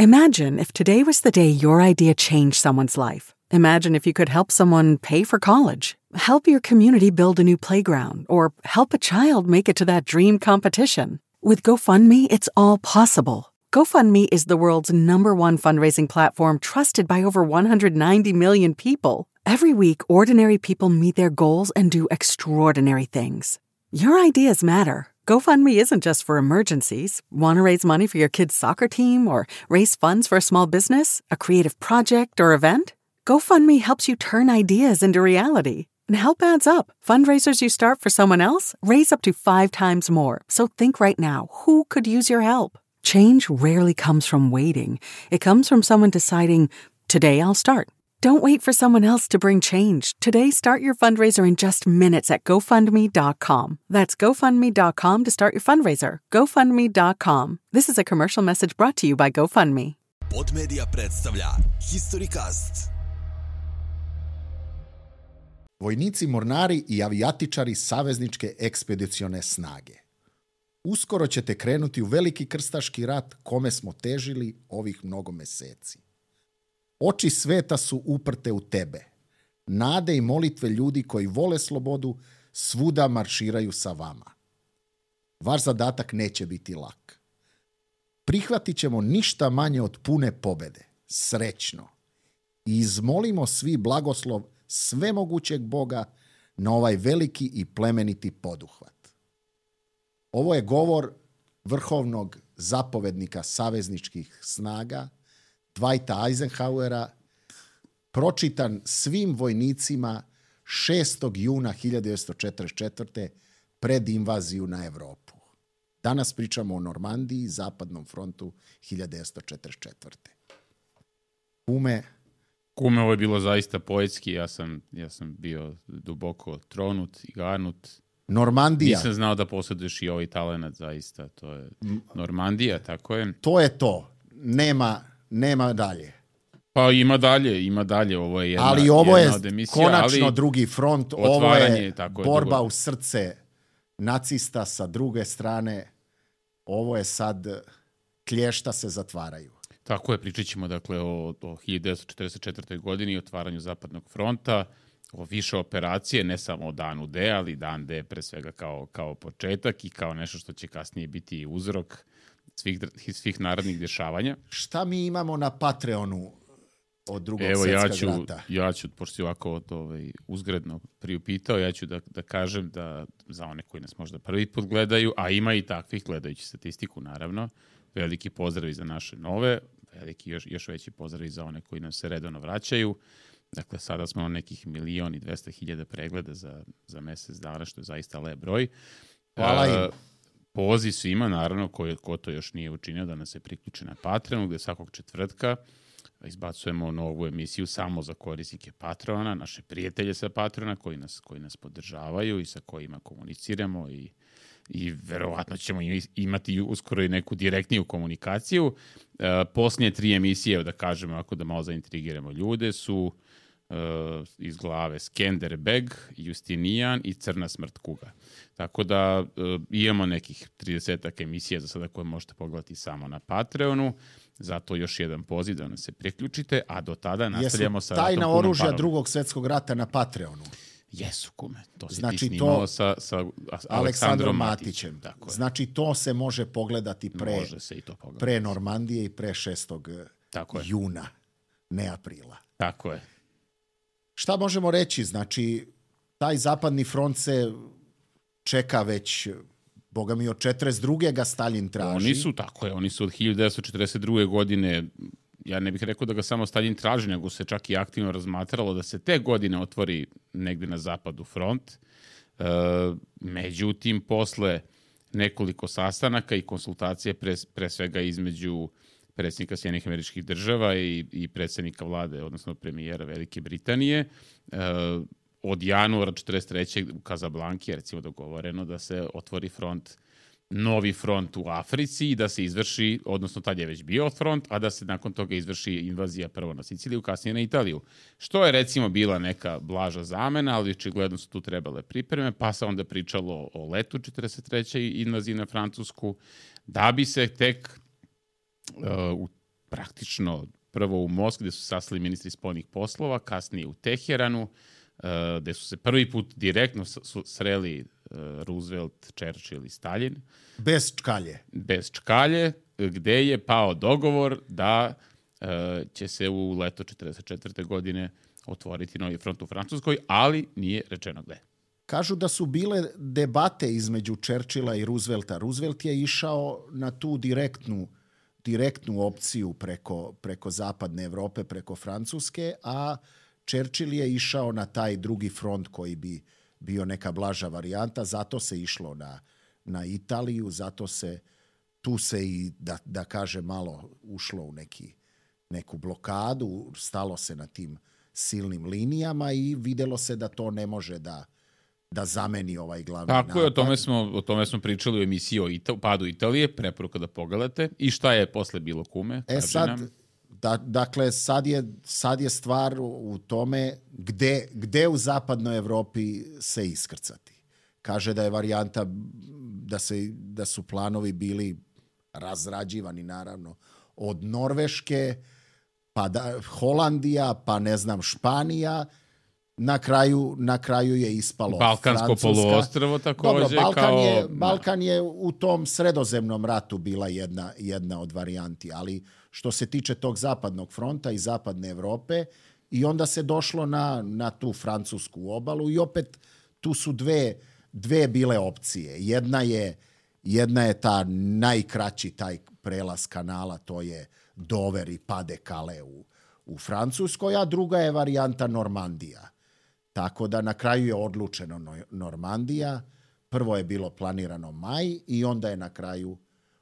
Imagine if today was the day your idea changed someone's life. Imagine if you could help someone pay for college, help your community build a new playground, or help a child make it to that dream competition. With GoFundMe, it's all possible. GoFundMe is the world's #1 fundraising platform trusted by over 190 million people. Every week, ordinary people meet their goals and do extraordinary things. Your ideas matter. GoFundMe isn't just for emergencies. Want to raise money for your kid's soccer team or raise funds for a small business, a creative project, or event? GoFundMe helps you turn ideas into reality. And help adds up. Fundraisers you start for someone else raise up to 5 times more. So think right now, who could use your help? Change rarely comes from waiting. It comes from someone deciding, today I'll start. Don't wait for someone else to bring change. Today, start your fundraiser in just minutes at GoFundMe.com. That's GoFundMe.com to start your fundraiser. GoFundMe.com. This is a commercial message brought to you by GoFundMe. Podmedia predstavlja Historycast. Vojnici, mornari i avijatičari savezničke ekspedicione snage. Uskoro ćete krenuti u veliki krstaški rat kome smo težili ovih mnogo meseci. Oči sveta su uprte u tebe. Nade i molitve ljudi koji vole slobodu svuda marširaju sa vama. Vaš zadatak neće biti lak. Prihvatit ćemo ništa manje od pune pobede, srećno. I izmolimo svi blagoslov svemogućeg Boga na ovaj veliki i plemeniti poduhvat. Ovo je govor vrhovnog zapovednika savezničkih snaga, Dwighta Eisenhowera, pročitan svim vojnicima 6. juna 1944. pred invaziju na Evropu. Danas pričamo o Normandiji, Zapadnom frontu 1944. Kume, ovo je bilo zaista poetski, ja sam bio duboko tronut i garnut. Normandija. Nisam znao da posjeduješ i ovaj talenat, zaista. To je Normandija, tako je. To je to. Nema dalje. Pa ima dalje. Ovo je jedna, ali ovo je od emisija, konačno drugi front. Ovo je borba drugo. U srce nacista sa druge strane. Ovo je sad klješta se zatvaraju. Tako je, pričat ćemo dakle o 1944. godini, otvaranju Zapadnog fronta, o više operacije, ne samo o danu D, ali dan D pre svega kao početak i kao nešto što će kasnije biti uzrok svih narodnih dešavanja. Šta mi imamo na Patreonu od Drugog svjetskog rata? Ja ću, pošto si ovako uzgredno priupitao, ja ću da kažem da za one koji nas možda prvi put gledaju, a ima i takvih gledajući statistiku naravno, veliki pozdrav za naše nove, veliki još veći pozdrav za one koji nam se redovno vraćaju. Dakle, sada smo na nekih 1.200.000 pregleda za mesec dana, što je zaista lep broj. Hvala im. Poziv svima, naravno, ko to još nije učinio, da nas se priključe na Patreonu, gde svakog četvrtka izbacujemo novu emisiju samo za korisnike Patreona, naše prijatelje sa Patreona koji nas podržavaju i sa kojima komuniciramo i verovatno ćemo imati uskoro i neku direktniju komunikaciju. Posljednje 3 emisije, da kažemo, ako da malo zaintrigiramo ljude, su iz glave Skenderbeg, Justinijan i Crna smrt kuga. Tako da imamo nekih 30 emisija za sada koje možete pogledati samo na Patreonu. Zato još jedan poziv da nas se priključite, a do tada nastavljamo sa ratom tajna punom oružja parom. Drugog svjetskog rata na Patreonu. Jesu, kume. To si znači ti snimao sa Aleksandrom Matićem. Tako je. Znači to se može pogledati pre Normandije i pre 6. juna, ne aprila. Tako je. Šta možemo reći? Znači, taj zapadni front se čeka već, boga mi, od 42. ga Stalin traži. Oni su od 1942. godine, ja ne bih rekao da ga samo Stalin traži, nego se čak i aktivno razmatralo da se te godine otvori negde na zapadu front. Međutim, posle nekoliko sastanaka i konsultacije pre svega između predsjednika Sjedinjenih Američkih Država i predsjednika vlade, odnosno premijera Velike Britanije, od januara 1943. u Kazablanki je recimo dogovoreno da se otvori novi front u Africi i da se izvrši, odnosno tad je već bio front, a da se nakon toga izvrši invazija prvo na Siciliju, kasnije na Italiju. Što je recimo bila neka blaža zamena, ali očigledno su tu trebale pripreme, pa se onda pričalo o letu 1943. invaziji na Francusku, da bi se tek praktično prvo u Moskvi, gde su sastali ministri spoljnih poslova, kasnije u Teheranu, gde su se prvi put direktno sreli Roosevelt, Churchill i Stalin. Bez čkalje. Bez čkalje, gde je pao dogovor da će se u leto 1944. godine otvoriti novi front u Francuskoj, ali nije rečeno gde. Kažu da su bile debate između Churchilla i Roosevelta. Roosevelt je išao na tu direktnu opciju preko zapadne Evrope, preko Francuske, a Churchill je išao na taj drugi front koji bi bio neka blaža varijanta. Zato se išlo na Italiju, tu se i, da kaže, malo ušlo u neku blokadu, stalo se na tim silnim linijama i videlo se da to ne može da zameni ovaj glavni napad. Tako je, o tome smo pričali u emisiji o padu Italije, preporuka da pogledate. I šta je posle bilo, kume? Dakle, sad je stvar u tome gde u zapadnoj Evropi se iskrcati. Kaže da je varijanta da su planovi bili razrađivani, naravno, od Norveške, pa Holandija, pa ne znam, Španija. Na kraju je ispalo Balkansko poluostrvo takođe. Dobro, Balkan je u tom sredozemnom ratu bila jedna od varijanti, ali što se tiče tog zapadnog fronta i zapadne Evrope, i onda se došlo na tu francusku obalu i opet tu su dve bile opcije. Jedna je ta najkraći taj prelaz kanala, to je Dover i Pas de Calais u Francuskoj, a druga je varijanta Normandija. Tako da na kraju je odlučeno Normandija. Prvo je bilo planirano maj i onda je na kraju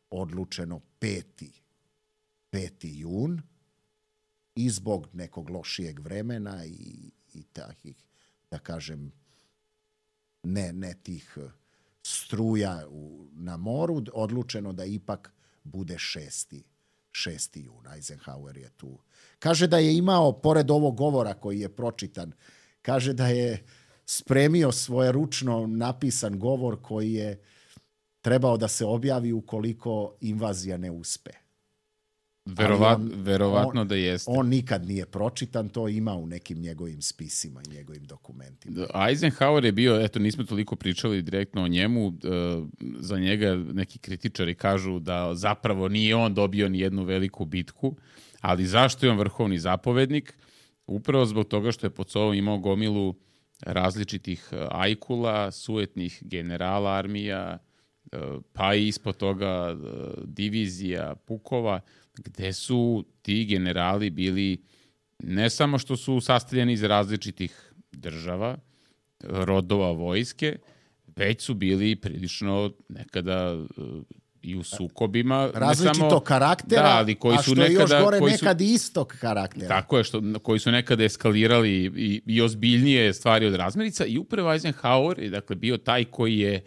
odlučeno 5. jun i zbog nekog lošijeg vremena i takih, da kažem, ne tih struja na moru, odlučeno da ipak bude 6. jun. Eisenhower je tu. Kaže da je imao, pored ovog govora koji je pročitan, kaže da je spremio svoje ručno napisan govor koji je trebao da se objavi ukoliko invazija ne uspe. Verovatno da jeste. On nikad nije pročitan, to ima u nekim njegovim spisima i njegovim dokumentima. Eisenhower je bio, eto, nismo toliko pričali direktno o njemu, za njega neki kritičari kažu da zapravo nije on dobio ni jednu veliku bitku, ali zašto je on vrhovni zapovednik? Upravo zbog toga što je pod sobom imao gomilu različitih ajkula, sujetnih generala armija, pa i ispod toga divizija, pukova, gde su ti generali bili ne samo što su sastavljeni iz različitih država, rodova vojske, već su bili prilično nekada i u sukobima. Različitog karaktera, ali koji a su što je nekada, još gore nekad istog karaktera. Tako je, koji su nekada eskalirali i ozbiljnije stvari od razmirica i upravo Eisenhower je dakle bio taj koji je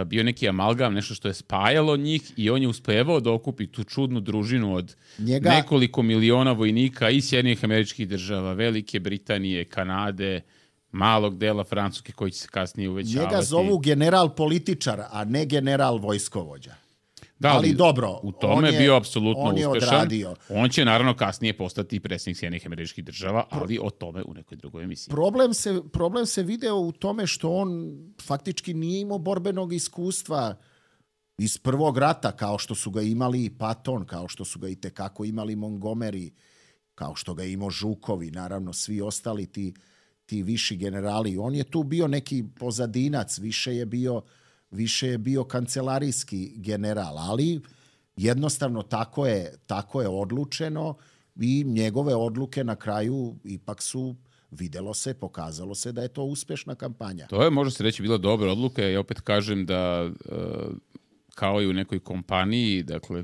bio neki amalgam, nešto što je spajalo njih i on je uspevao da okupi tu čudnu družinu od nekoliko miliona vojnika iz Sjedinjenih Američkih Država, Velike Britanije, Kanade, malog dela Francuske koji će se kasnije uvećavati. Njega zovu general političar, a ne general vojskovođa. Da, ali dobro, u tome je bio apsolutno uspešan. Odradio. On će naravno kasnije postati predsjednik Sjedinjenih Američkih Država, ali o tome u nekoj drugoj emisiji. Problem se video u tome što on faktički nije imao borbenog iskustva iz prvog rata, kao što su ga imali i Patton, kao što su ga i tekako imali Montgomery, kao što ga imao Žukovi, naravno svi ostali ti viši generali. On je tu bio neki pozadinac, više je bio kancelarijski general, ali jednostavno tako je odlučeno i njegove odluke na kraju ipak su, pokazalo se da je to uspešna kampanja. To je, može se reći, bila dobra odluka. Ja opet kažem da kao i u nekoj kompaniji, dakle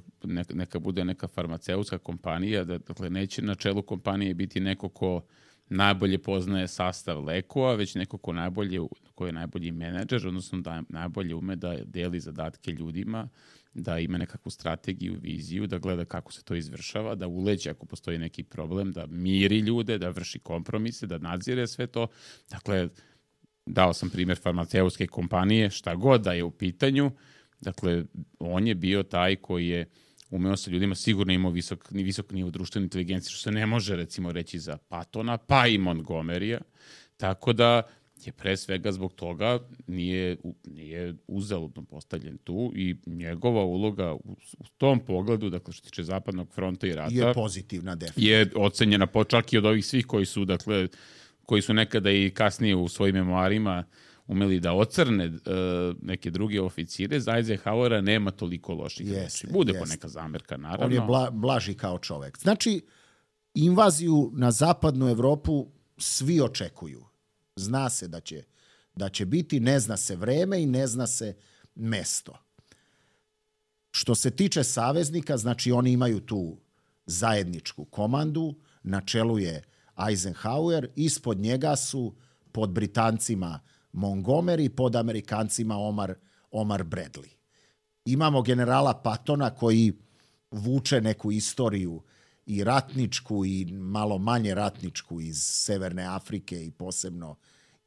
neka bude neka farmaceutska kompanija, dakle neće na čelu kompanije biti neko ko najbolje poznaje sastav lekova, već neko ko je najbolji menadžer, odnosno da najbolje ume da deli zadatke ljudima, da ima nekakvu strategiju, viziju, da gleda kako se to izvršava, da uleće ako postoji neki problem, da miri ljude, da vrši kompromise, da nadzire sve to. Dakle, dao sam primjer farmaceutske kompanije, šta god da je u pitanju. Dakle, on je bio taj koji je umeo sa ljudima, sigurno imao visok nivo društvene inteligencije, što se ne može recimo reći za Pattona, pa i Montgomerya, tako da je pre svega zbog toga nije uzaludno postavljen tu i njegova uloga u tom pogledu, dakle što tiče Zapadnog fronta i rata, je pozitivna, definitivno. Je ocenjena čak i od ovih svih koji su nekada i kasnije u svojim memoarima umeli da ocrne neke druge oficire. Za Eisenhowera nema toliko loših reči. Bude poneka zamerka, naravno. On je blaži kao čovek. Znači, invaziju na zapadnu Evropu svi očekuju. Zna se da će biti, ne zna se vreme i ne zna se mesto. Što se tiče saveznika, znači oni imaju tu zajedničku komandu, na čelu je Eisenhower, ispod njega su pod Britancima Montgomery, pod Amerikancima Omar Bradley. Imamo generala Pattona koji vuče neku istoriju i ratničku i malo manje ratničku iz Severne Afrike i posebno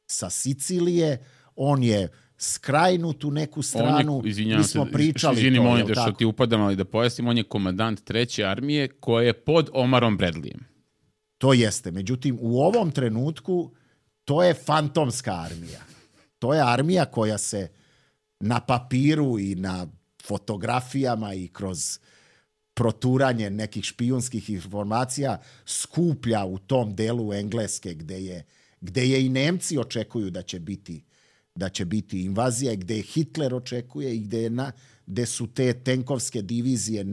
sa Sicilije. On je skrajnut u neku stranu. Mi smo pričali izvini, molim da što ti upadam, ali da pojasnim, on je komandant 3. armije koja je pod Omarom Bradleyem. To jeste. Međutim, u ovom trenutku to je fantomska armija. To je armija koja se na papiru i na fotografijama i kroz proturanje nekih špijunskih informacija skuplja u tom delu Engleske gde je i Nemci očekuju da će biti invazija i gde Hitler očekuje i gde su te tenkovske divizije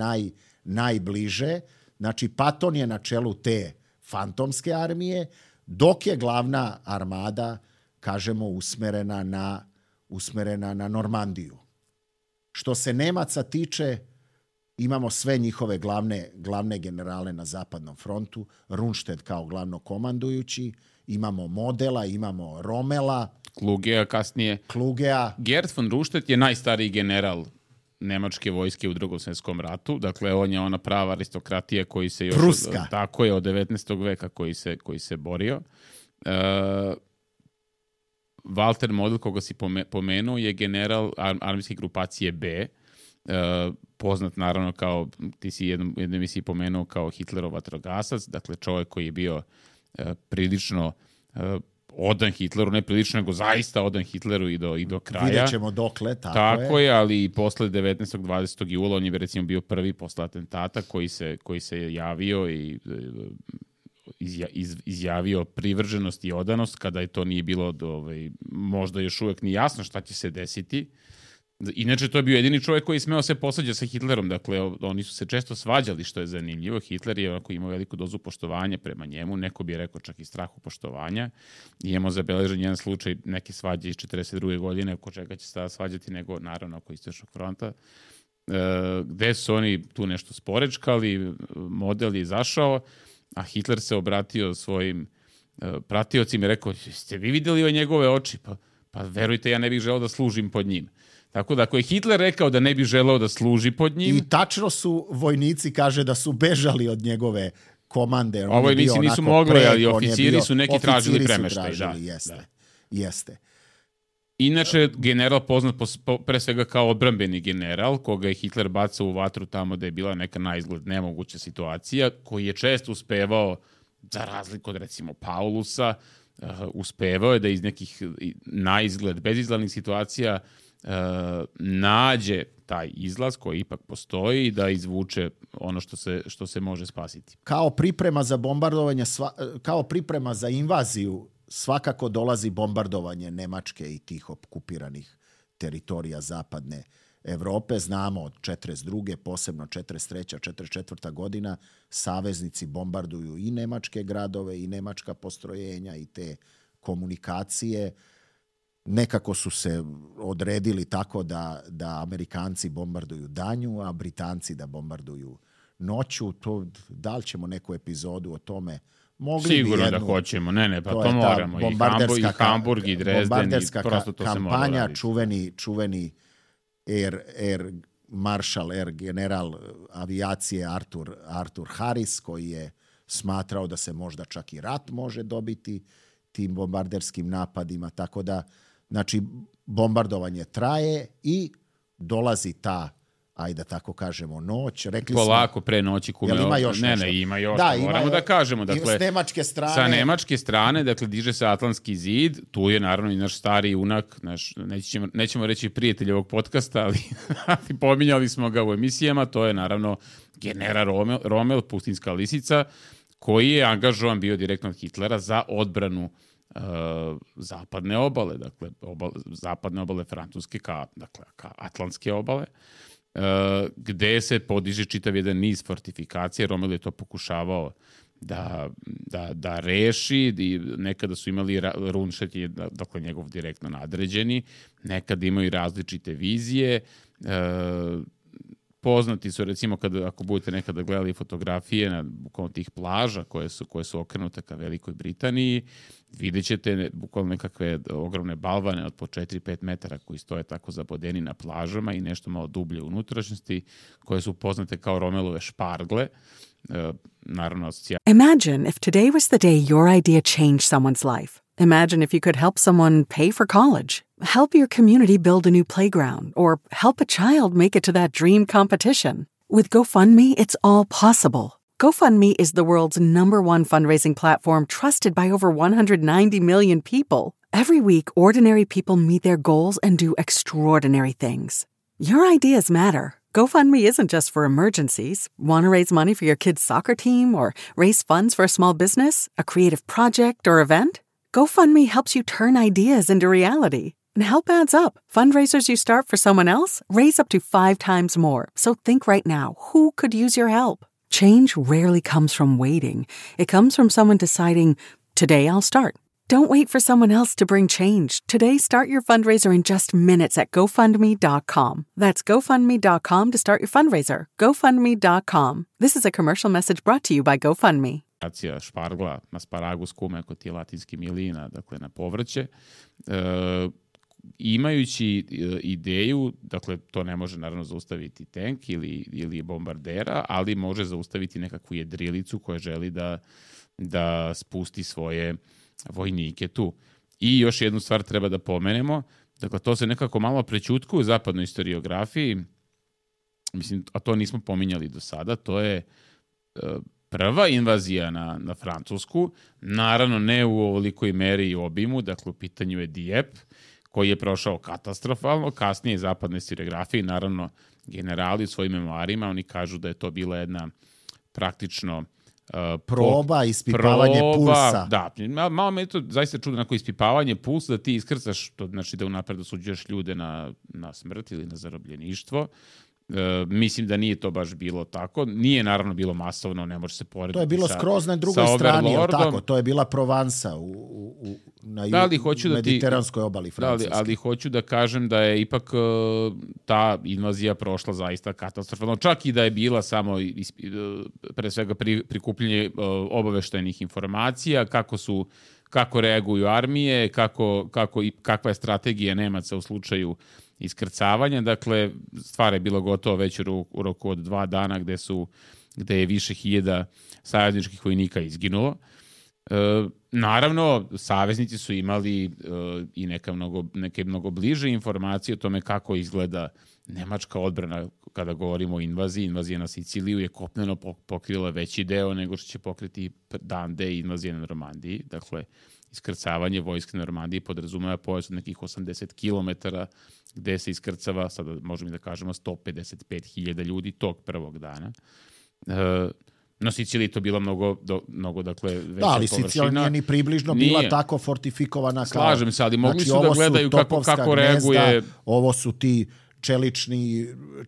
najbliže. Znači, Patton je na čelu te fantomske armije, dok je glavna armada, kažemo, usmerena na Normandiju. Što se Nemaca tiče, imamo sve njihove glavne generale na zapadnom frontu, Rundstedt kao glavnokomandujući, imamo Modela, imamo Rommela, Klugea kasnije. Gerd von Rundstedt je najstariji general nemačke vojske u Drugom svjetskom ratu. Dakle, on je ona prava aristokratija koji se još... Pruska. Tako je, od 19. veka koji se borio. Walter Model, koga si pomenuo, je general armijske grupacije B, poznat naravno kao, ti si jednom emisiji pomenuo kao Hitlerov vatrogasac, dakle čovjek koji je bio prilično odan Hitleru, ne prilično, nego zaista odan Hitleru i do kraja. Vidjet ćemo dokle, tako je, ali i posle 19. 20. jula on je recimo bio prvi posle atentata koji se javio i izjavio privrženost i odanost kada je to nije bilo možda još uvek ni jasno šta će se desiti. Inače, to je bio jedini čovjek koji smeo se posvađa sa Hitlerom. Dakle, oni su se često svađali, što je zanimljivo. Hitler je imao veliku dozu poštovanja prema njemu, neko bi rekao čak i strahu poštovanja. I imamo zabeležen jedan slučaj neke svađe iz 1942. godine, oko čega će se tada svađati, nego naravno oko Istočnog fronta, gde su oni tu nešto sporečkali, Model je izašao, a Hitler se obratio svojim pratiocima i rekao, ste vi vidjeli ove njegove oči? Pa verujte, ja ne bih želeo da služim pod njim. Tako da ako je Hitler rekao da ne bi želeo da služi pod njim... I tačno su vojnici, kaže, da su bežali od njegove komande. A vojnici nisu mogli, ali oficiri su neki tražili premeštaj. Jeste. Inače, general poznat pre svega kao odbrambeni general, koga je Hitler bacao u vatru tamo da je bila neka naizgled nemoguća situacija, koji je često uspevao, za razliku od recimo Paulusa, uspevao je da iz nekih naizgled bezizglednih situacija nađe taj izlaz koji ipak postoji i da izvuče ono što se može spasiti. Kao priprema za bombardovanje, kao priprema za invaziju, svakako dolazi bombardovanje Nemačke i tih okupiranih teritorija zapadne Evrope. Znamo od 42. posebno 43. 44. godina saveznici bombarduju i nemačke gradove i nemačka postrojenja i te komunikacije. Nekako su se odredili tako da Amerikanci bombarduju danju, a Britanci da bombarduju noću. Da li ćemo neku epizodu o tome? Sigurno da hoćemo. Pa to moramo. I Hamburg, i Dresden, i prosto to se mora raditi. Bombarderska čuveni Air Marshal, Air General avijacije Arthur Harris, koji je smatrao da se možda čak i rat može dobiti tim bombarderskim napadima. Tako da, znači, bombardovanje traje i dolazi ta ajde da tako kažemo, noć. Rekli polako pre noći kume. Jel ima još nešto? Ima još. Da, moramo da kažemo. Dakle, s nemačke strane. Sa nemačke strane, dakle, diže se Atlantski zid. Tu je naravno i naš stari junak, nećemo reći prijatelj ovog podcasta, ali pominjali smo ga u emisijama. To je naravno general Rommel, pustinska lisica, koji je angažovan bio direktno od Hitlera za odbranu zapadne obale, dakle zapadne obale Francuske ka atlantske obale, gde se podiže čitav jedan niz fortifikacije. Rommel je to pokušavao da reši. Nekada su imali Rundstedt, dakle njegov direktno nadređeni, nekada imaju različite vizije. Poznati su, recimo, ako budete nekada gledali fotografije na bukvalno tih plaža koje su okrenute ka Velikoj Britaniji, vidjet ćete bukvalno nekakve ogromne balvane od po 4-5 metara koji stoje tako zabodeni na plažama i nešto malo dublje unutrašnjosti, koje su poznate kao Rommelove špargle. Naravno, Imagine if today was the day your idea changed someone's life. Imagine if you could help someone pay for college, help your community build a new playground, or help a child make it to that dream competition. With GoFundMe, it's all possible. GoFundMe is the world's #1 fundraising platform trusted by over 190 million people. Every week, ordinary people meet their goals and do extraordinary things. Your ideas matter. GoFundMe isn't just for emergencies. Want to raise money for your kid's soccer team or raise funds for a small business, a creative project, or event? GoFundMe helps you turn ideas into reality. And help adds up. Fundraisers you start for someone else raise up to 5 times more. So think right now, who could use your help? Change rarely comes from waiting. It comes from someone deciding, today I'll start. Don't wait for someone else to bring change. Today, start your fundraiser in just minutes at GoFundMe.com. That's GoFundMe.com to start your fundraiser. GoFundMe.com. This is a commercial message brought to you by GoFundMe. Špargla, asparagus, kume, ako ti je latinski milina, dakle na povrće. Imajući ideju, dakle to ne može naravno zaustaviti tank ili bombardera, ali može zaustaviti nekakvu jedrilicu koja želi da spusti svoje vojnike tu. I još jednu stvar treba da pomenemo, dakle to se nekako malo prećutkuje u zapadnoj historiografiji, mislim, a to nismo pominjali do sada, to je prva invazija na Francusku, naravno ne u ovolikoj meri i obimu, dakle u pitanju je Dieppe, koji je prošao katastrofalno, kasnije zapadne historiografije, naravno generali u svojim memoarima, oni kažu da je to bila jedna praktično proba, ispipavanje pulsa. Da, malo me je to zaista čudno, onako ispipavanje pulsa, da ti iskrcaš, to znači da unapred osuđuješ ljude na smrt ili na zarobljeništvo. Mislim da nije to baš bilo tako. Nije naravno bilo masovno, ne može se porediti. To je bilo skroz na drugoj strani, je tako? To je bila Provansa na mediteranskoj obali Francuske. Ali hoću da kažem da je ipak ta invazija prošla zaista katastrofalno. Čak i da je bila samo pre svega prikupljanje obaveštajnih informacija, kako reaguju armije, kakva je strategija Nemaca u slučaju iskrcavanja. Dakle, stvar je bila gotova već u roku od 2 dana gde je više hiljada savezničkih vojnika izginulo. Naravno, saveznici su imali i neke mnogo bliže informacije o tome kako izgleda nemačka odbrana kada govorimo o invaziji. Invazija na Siciliju je kopneno pokrila veći deo nego što će pokriti dan D invazije na Normandiji. Dakle, iskrcavanje vojske na Normandiji podrazumeva pojas od nekih 80 km gde se iskrcava, sada možemo da kažemo 155.000 ljudi tog prvog dana. Na Siciliji to bila mnogo dakle, veća površina. Da, ali Sicilija nije ni približno bila tako fortifikovana. Slažem se, ali mogli su da gledaju kako reaguje. Ovo su ti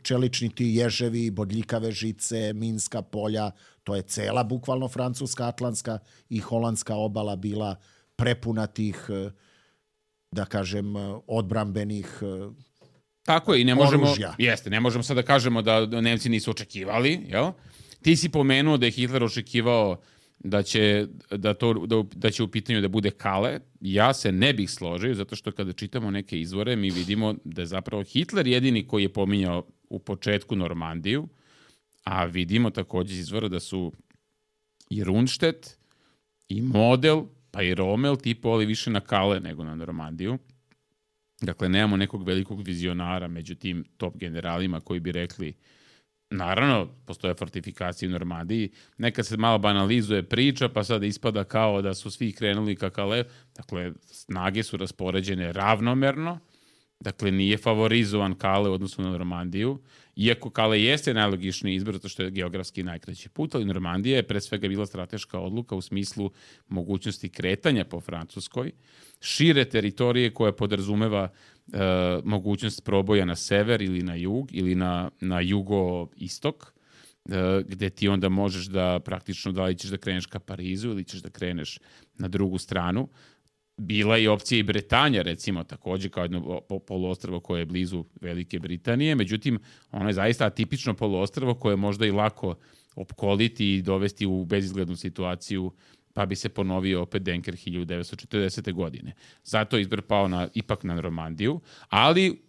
čelični ti ježevi, bodljikave žice, minska polja. To je cela bukvalno francuska, atlantska i holandska obala bila prepuna tih, da kažem, odbrambenih tako je, i ne možemo sad da kažemo da Nemci nisu očekivali, jel? Ti si pomenuo da je Hitler očekivao da će u pitanju da bude Kale. Ja se ne bih složio, zato što kada čitamo neke izvore, mi vidimo da je zapravo Hitler jedini koji je pominjao u početku Normandiju, a vidimo također iz izvora da su i Rundstedt, i Model, pa i Rommel tipovali više na Kale nego na Normandiju. Dakle, nemamo nekog velikog vizionara među tim top generalima koji bi rekli, naravno, postoje fortifikacije u Normandiji, nekad se malo banalizuje priča, pa sad ispada kao da su svi krenuli ka Calais. Dakle, snage su raspoređene ravnomerno, dakle, nije favorizovan Calais u odnosu na Normandiju, iako Calais jeste najlogičniji izbor, zato što je geografski najkraći put, ali Normandija je pre svega bila strateška odluka u smislu mogućnosti kretanja po Francuskoj, šire teritorije koja podrazumeva mogućnost proboja na sever ili na jug ili na jugo-istok, gde ti onda možeš da praktično da li ćeš da kreneš ka Parizu ili ćeš da kreneš na drugu stranu. Bila je opcija i Bretanja, recimo, takođe kao jedno poluostrvo koje je blizu Velike Britanije, međutim, ono je zaista atipično poluostrvo koje je možda i lako opkoliti i dovesti u bezizglednu situaciju, pa bi se ponovio opet Denker 1940. godine. Zato je izbor pao ipak na Normandiju, ali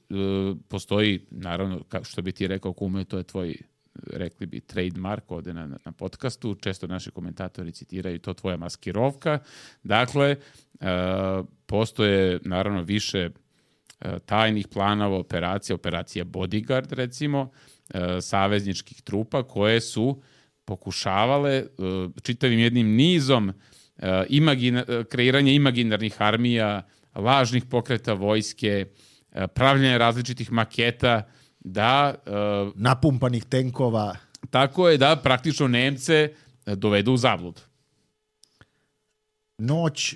postoji, naravno, što bi ti rekao, kume, to je tvoj, rekli bi, trademark ovde na podcastu, često naši komentatori citiraju to, tvoja maskirovka. Dakle, postoje, naravno, više tajnih planova, operacija Bodyguard, recimo, savezničkih trupa koje su pokušavale čitavim jednim nizom kreiranja imaginarnih armija, lažnih pokreta vojske, pravljanja različitih maketa, da napumpanih tenkova. Tako je, da praktično Nemce dovedu u zabludu. Noć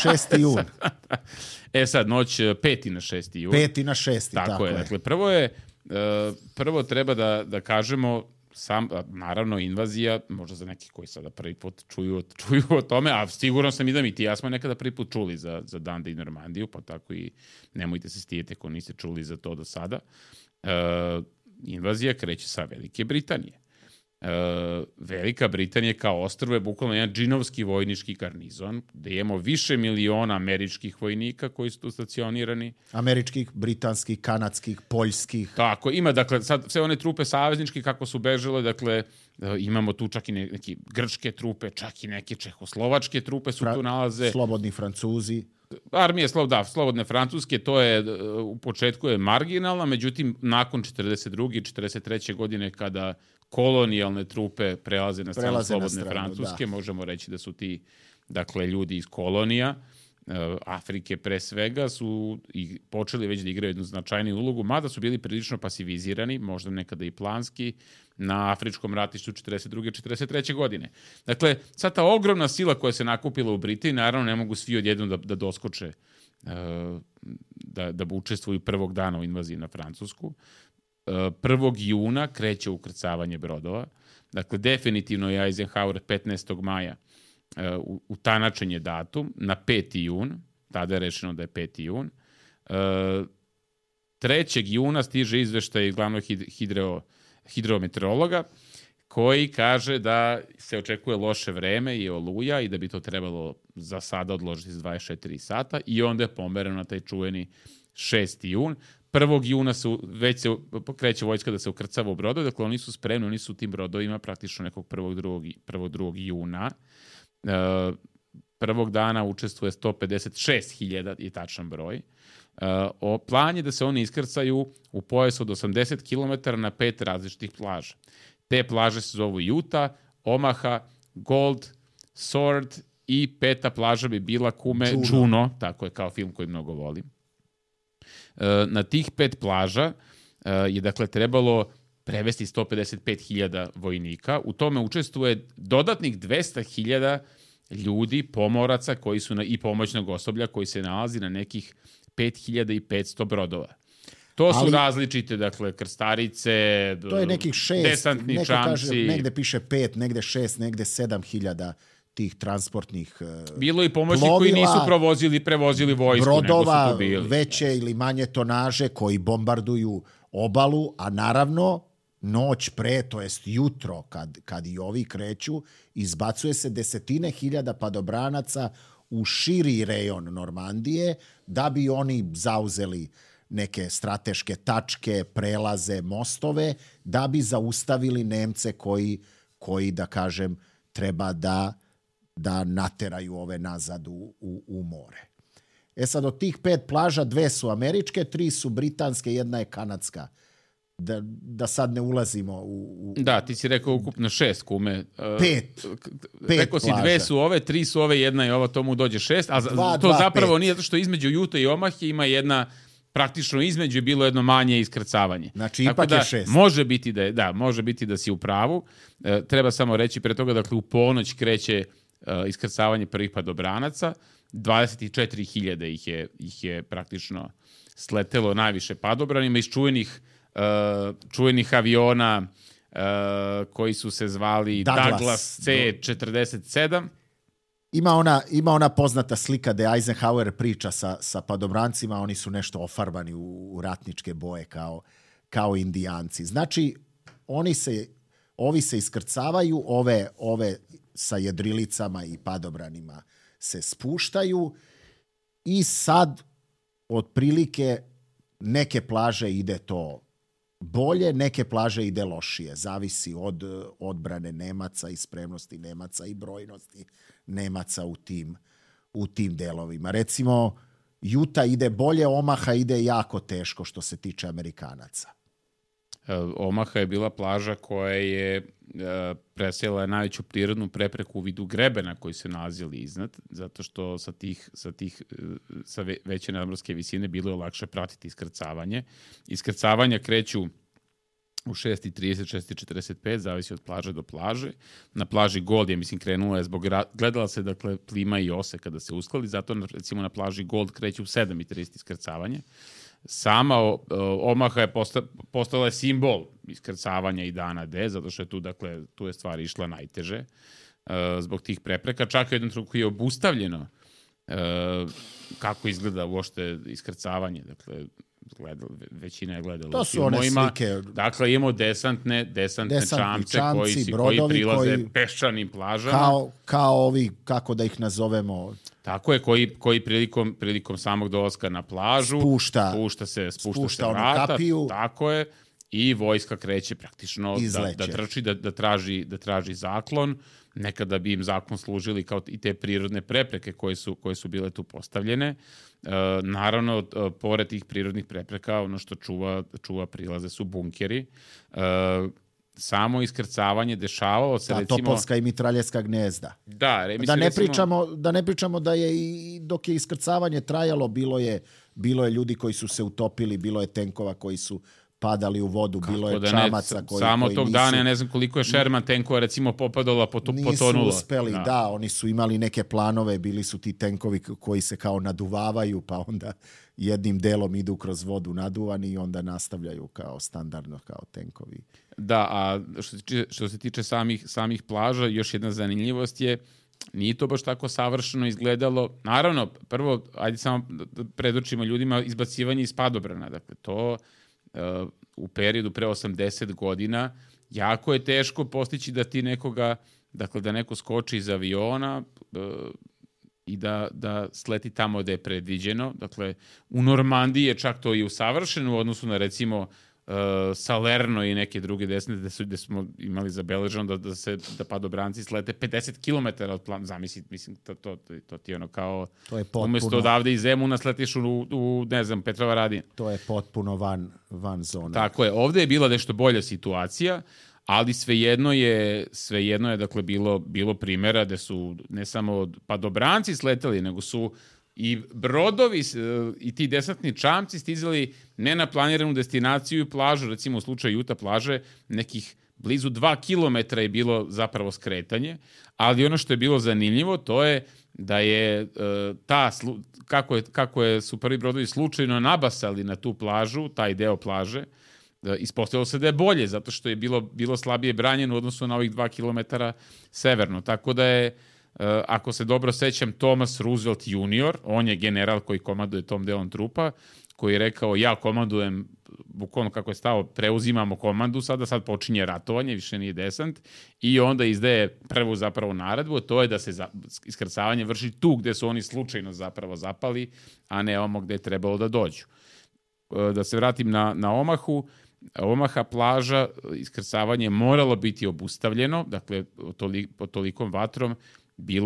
6. jun. Sad, noć 5. na 6. jun. 5. na 6. Tako je. Dakle, prvo treba da kažemo, naravno, invazija, možda za neki koji sada prvi put čuju o tome, a sigurno sam i da mi ti ja smo nekada prvi put čuli za Dundee i Normandiju, pa tako i nemojte se stidjeti ako niste čuli za to do sada. Invazija kreće sa Velike Britanije. Velika Britanija kao ostrvo je bukvalno jedan džinovski vojnički garnizon, gde imamo više miliona američkih vojnika koji su tu stacionirani. Američkih, britanskih, kanadskih, poljskih. Tako, ima, dakle, sad sve one trupe savezničke kako su bežale, dakle, imamo tu čak i neke grčke trupe, čak i neke čehoslovačke trupe su tu nalaze. Slobodni Francuzi. Armija slobodne Francuske, to je u početku je marginalna, međutim, nakon 42. i 43. godine, kada kolonijalne trupe prelaze na stranu slobodne Francuske, možemo reći da su ti, dakle, ljudi iz kolonija, Afrike pre svega, su i počeli već da igraju jednu značajniju ulogu, mada su bili prilično pasivizirani, možda nekada i planski, na afričkom ratištu 42. i 43. godine. Dakle, sad ta ogromna sila koja se nakupila u Britaniji, naravno ne mogu svi odjednom da doskoče, da učestvuju prvog dana u invaziji na Francusku. 1. juna kreće ukrcavanje brodova. Dakle, definitivno je Eisenhower 15. maja utanačen je datum na 5. jun, tada je rečeno da je 5. jun. 3. juna stiže izveštaj glavnog hidrometeorologa koji kaže da se očekuje loše vreme i oluja i da bi to trebalo za sada odložiti s 24 sata i onda je pomereno na taj čuveni 6. jun. 1. juna već se kreće vojska da se ukrcava u brodove, dakle oni su spremni, oni su u tim brodovima praktično nekog 1. juna. Prvog dana učestvuje 156.000 je tačan broj. Plan je da se oni iskrcaju u pojasu od 80 km na 5 različitih plaža. Te plaže se zovu Utah, Omaha, Gold, Sword i 5. plaža bi bila Juno, tako je kao film koji mnogo volim. Na tih 5 plaža je dakle trebalo prevesti 155.000 vojnika. U tome učestvuje dodatnih 200.000 ljudi, pomoraca koji su i pomoćnog osoblja koji se nalazi na nekih 5.500 brodova. To su različite, dakle, krstarice, to je nekih 6, desantni čamci. Negde piše 5, negde 6, negde 7.000 tih transportnih bilo i pomoćni koji nisu prevozili vojsku, brodova, nego su tu bili. Veće ili manje tonaže koji bombarduju obalu, a naravno noć pre, to jest jutro kad i ovi kreću, izbacuje se desetine hiljada padobranaca u širi rejon Normandije da bi oni zauzeli neke strateške tačke, prelaze, mostove, da bi zaustavili Nemce koji da kažem, treba da nateraju ove nazad u more. Sad od tih 5 plaža 2 su američke, 3 su britanske, 1 je kanadska. Da sad ne ulazimo u... Da, ti si rekao ukupno 6 kume. 5 rekao si 2 su ove, 3 su ove, 1 je ova, tomu dođe 6, a to zapravo nije zato što između Utah i Omahe ima jedna, praktično između je bilo jedno manje iskrcavanje. Znači ipak je 6. Može biti da si u pravu. Treba samo reći pre toga, dakle u ponoć kreće iskrcavanje prvih padobranaca, 24.000 ih je praktično sletelo najviše padobranima iz čuvenih aviona koji su se zvali Douglas C-47. Ima ona poznata slika gde Eisenhower priča sa padobrancima, oni su nešto ofarbani u ratničke boje kao indijanci. Znači, ovi se iskrcavaju, ove sa jedrilicama i padobranima se spuštaju i sad otprilike neke plaže ide to bolje, neke plaže ide lošije. Zavisi od odbrane Nemaca i spremnosti Nemaca i brojnosti Nemaca u tim delovima. Recimo, Utah ide bolje, Omaha ide jako teško što se tiče Amerikanaca. Omaha je bila plaža koja je presjela najveću prirodnu prepreku u vidu grebena koji se nalazili iznad, zato što sa veće nadmorske visine bilo je lakše pratiti iskrcavanje. Iskrcavanja kreću u 6.30, 6.45, zavisi od plaže do plaže. Na plaži Gold je, krenula je gledala se, dakle, plima i ose kada se uskladi, zato, recimo, na plaži Gold kreće u 7.30 iskrcavanje. Sama Omaha je postala simbol iskrcavanja i dana D, zato što je tu je stvar išla najteže zbog tih prepreka. Čak u jednom trenutku je obustavljeno kako izgleda uopšte iskrcavanje. Dakle, većina je gledala u filmovima. To su one slike. Dakle, imamo desantne čamce koji prilaze peščanim plažama. Kao ovi, kako da ih nazovemo... Tako je, koji prilikom samog dolaska na plažu spušta se vrata, kapiju, tako je, i vojska kreće praktično da trči, da traži zaklon. Nekada bi im zaklon služili kao i te prirodne prepreke koje su bile tu postavljene. Naravno, pored tih prirodnih prepreka, ono što čuva prilaze su bunkeri. Samo iskrcavanje dešavalo se, recimo... Topovska i mitraljevska gnezda. Da ne pričamo da je i dok je iskrcavanje trajalo, bilo je ljudi koji su se utopili, bilo je tenkova koji su padali u vodu, bilo je čamaca koji samo tog dana, ja ne znam koliko je Sherman tenkova, recimo, popadala, potonulo. Nisu uspeli, da, oni su imali neke planove, bili su ti tenkovi koji se kao naduvavaju, pa onda jednim delom idu kroz vodu naduvani i onda nastavljaju kao standardno, kao tenkovi. Da, a što se tiče samih plaža, još jedna zanimljivost je, nije to baš tako savršeno izgledalo. Naravno, prvo, ajde samo da predočimo ljudima izbacivanje iz padobrana. Dakle, to u periodu pre 80 godina jako je teško postići da ti nekoga, dakle, da neko skoči iz aviona i da sleti tamo gde je predviđeno. Dakle, u Normandiji je čak to i usavršeno u odnosu na, recimo, Salerno i neke druge desne gde smo imali zabeleženo da padobranci slete 50 km od plana. Zamisli, mislim, to ti je ono kao... To je potpuno... Umesto odavde iz Zemuna sletiš u ne znam, Petrova Radina. To je potpuno van zone. Tako je. Ovde je bila nešto bolja situacija, ali svejedno je dakle, bilo primjera gde su ne samo padobranci sleteli, nego su i brodovi i ti desantni čamci stizali ne na planiranu destinaciju i plažu, recimo u slučaju Utah plaže, nekih blizu 2 kilometra je bilo zapravo skretanje, ali ono što je bilo zanimljivo to je da je kako su prvi brodovi slučajno nabasali na tu plažu, taj deo plaže, ispostavilo se da je bolje, zato što je bilo slabije branjeno u odnosu na ovih 2 kilometara severno. Tako da je, ako se dobro sećam, Thomas Roosevelt Jr., on je general koji komanduje tom delom trupa, koji je rekao, ja komandujem, bukvalno kako je stao, preuzimamo komandu, sad počinje ratovanje, više nije desant, i onda izdaje prvu zapravo naredbu, to je da se iskrcavanje vrši tu gde su oni slučajno zapravo zapali, a ne ovamo gde je trebalo da dođu. Da se vratim na Omahu, Omaha plaža, iskrcavanje moralo biti obustavljeno, dakle, pod tolikom vatrom,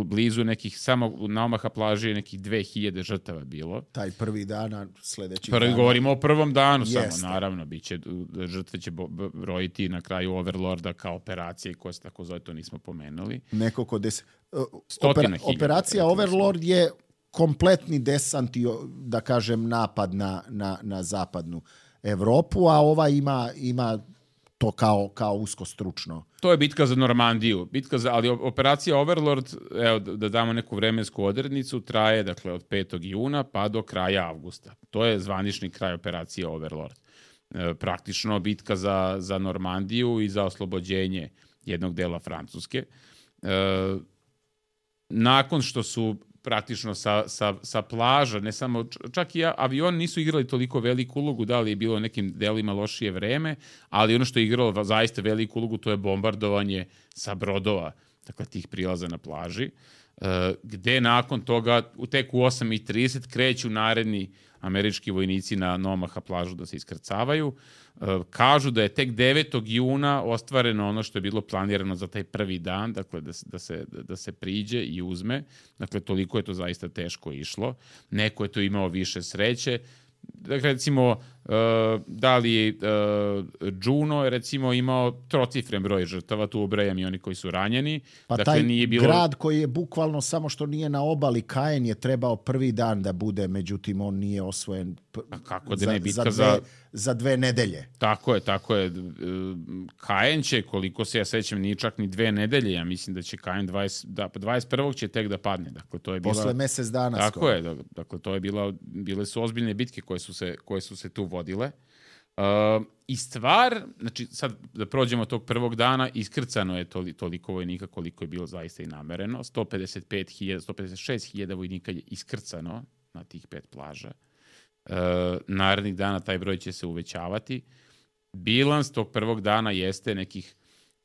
blizu nekih, samo na Omaha plaži je nekih 2000 žrtava bilo. Taj prvi dana, sledeći dana. Govorimo o prvom danu Jeste. samo, naravno. Žrtve će brojiti na kraju Overlorda kao operacije koje se tako zove, to nismo pomenuli. Nekoliko operacija Overlord je kompletni desant i, da kažem, napad na zapadnu Evropu, a ova ima to kao usko stručno. To je bitka za Normandiju. Ali operacija Overlord, evo da damo neku vremensku odrednicu, traje dakle od 5. juna pa do kraja avgusta. To je zvanični kraj operacije Overlord. Praktično bitka za Normandiju i za oslobođenje jednog dela Francuske. Nakon što su praktično sa plaža, ne samo, čak i avioni nisu igrali toliko veliku ulogu, da li je bilo nekim delima lošije vreme, ali ono što je igralo zaista veliku ulogu, to je bombardovanje sa brodova, dakle tih prilaza na plaži, gde nakon toga, tek u 8:30 kreću naredni američki vojnici na Omaha plažu da se iskrcavaju. Kažu da je tek 9. juna ostvareno ono što je bilo planirano za taj prvi dan, dakle da se priđe i uzme. Dakle, toliko je to zaista teško išlo. Neko je to imao više sreće. Dakle, recimo, da li Juno je recimo imao trocifren broj žrtava, tu ubrajam i oni koji su ranjeni. Pa dakle, taj nije bilo... grad koji je bukvalno samo što nije na obali, Caen je trebao prvi dan da bude, međutim on nije osvojen za 2 nedelje. Tako je. Caen će, koliko se ja sećam, nije čak ni 2 nedelje, ja mislim da će Caen 21. će tek da padne. Dakle, to je bila... Posle mesec dana. Tako skoro. Je, dakle, to je bile su ozbiljne bitke koje su se tu vodile. I stvar, znači sad da prođemo tog prvog dana, iskrcano je toliko vojnika koliko je bilo zaista i namereno. 156.000 vojnika je iskrcano na tih 5 plaža. Narednih dana taj broj će se uvećavati. Bilans tog prvog dana jeste nekih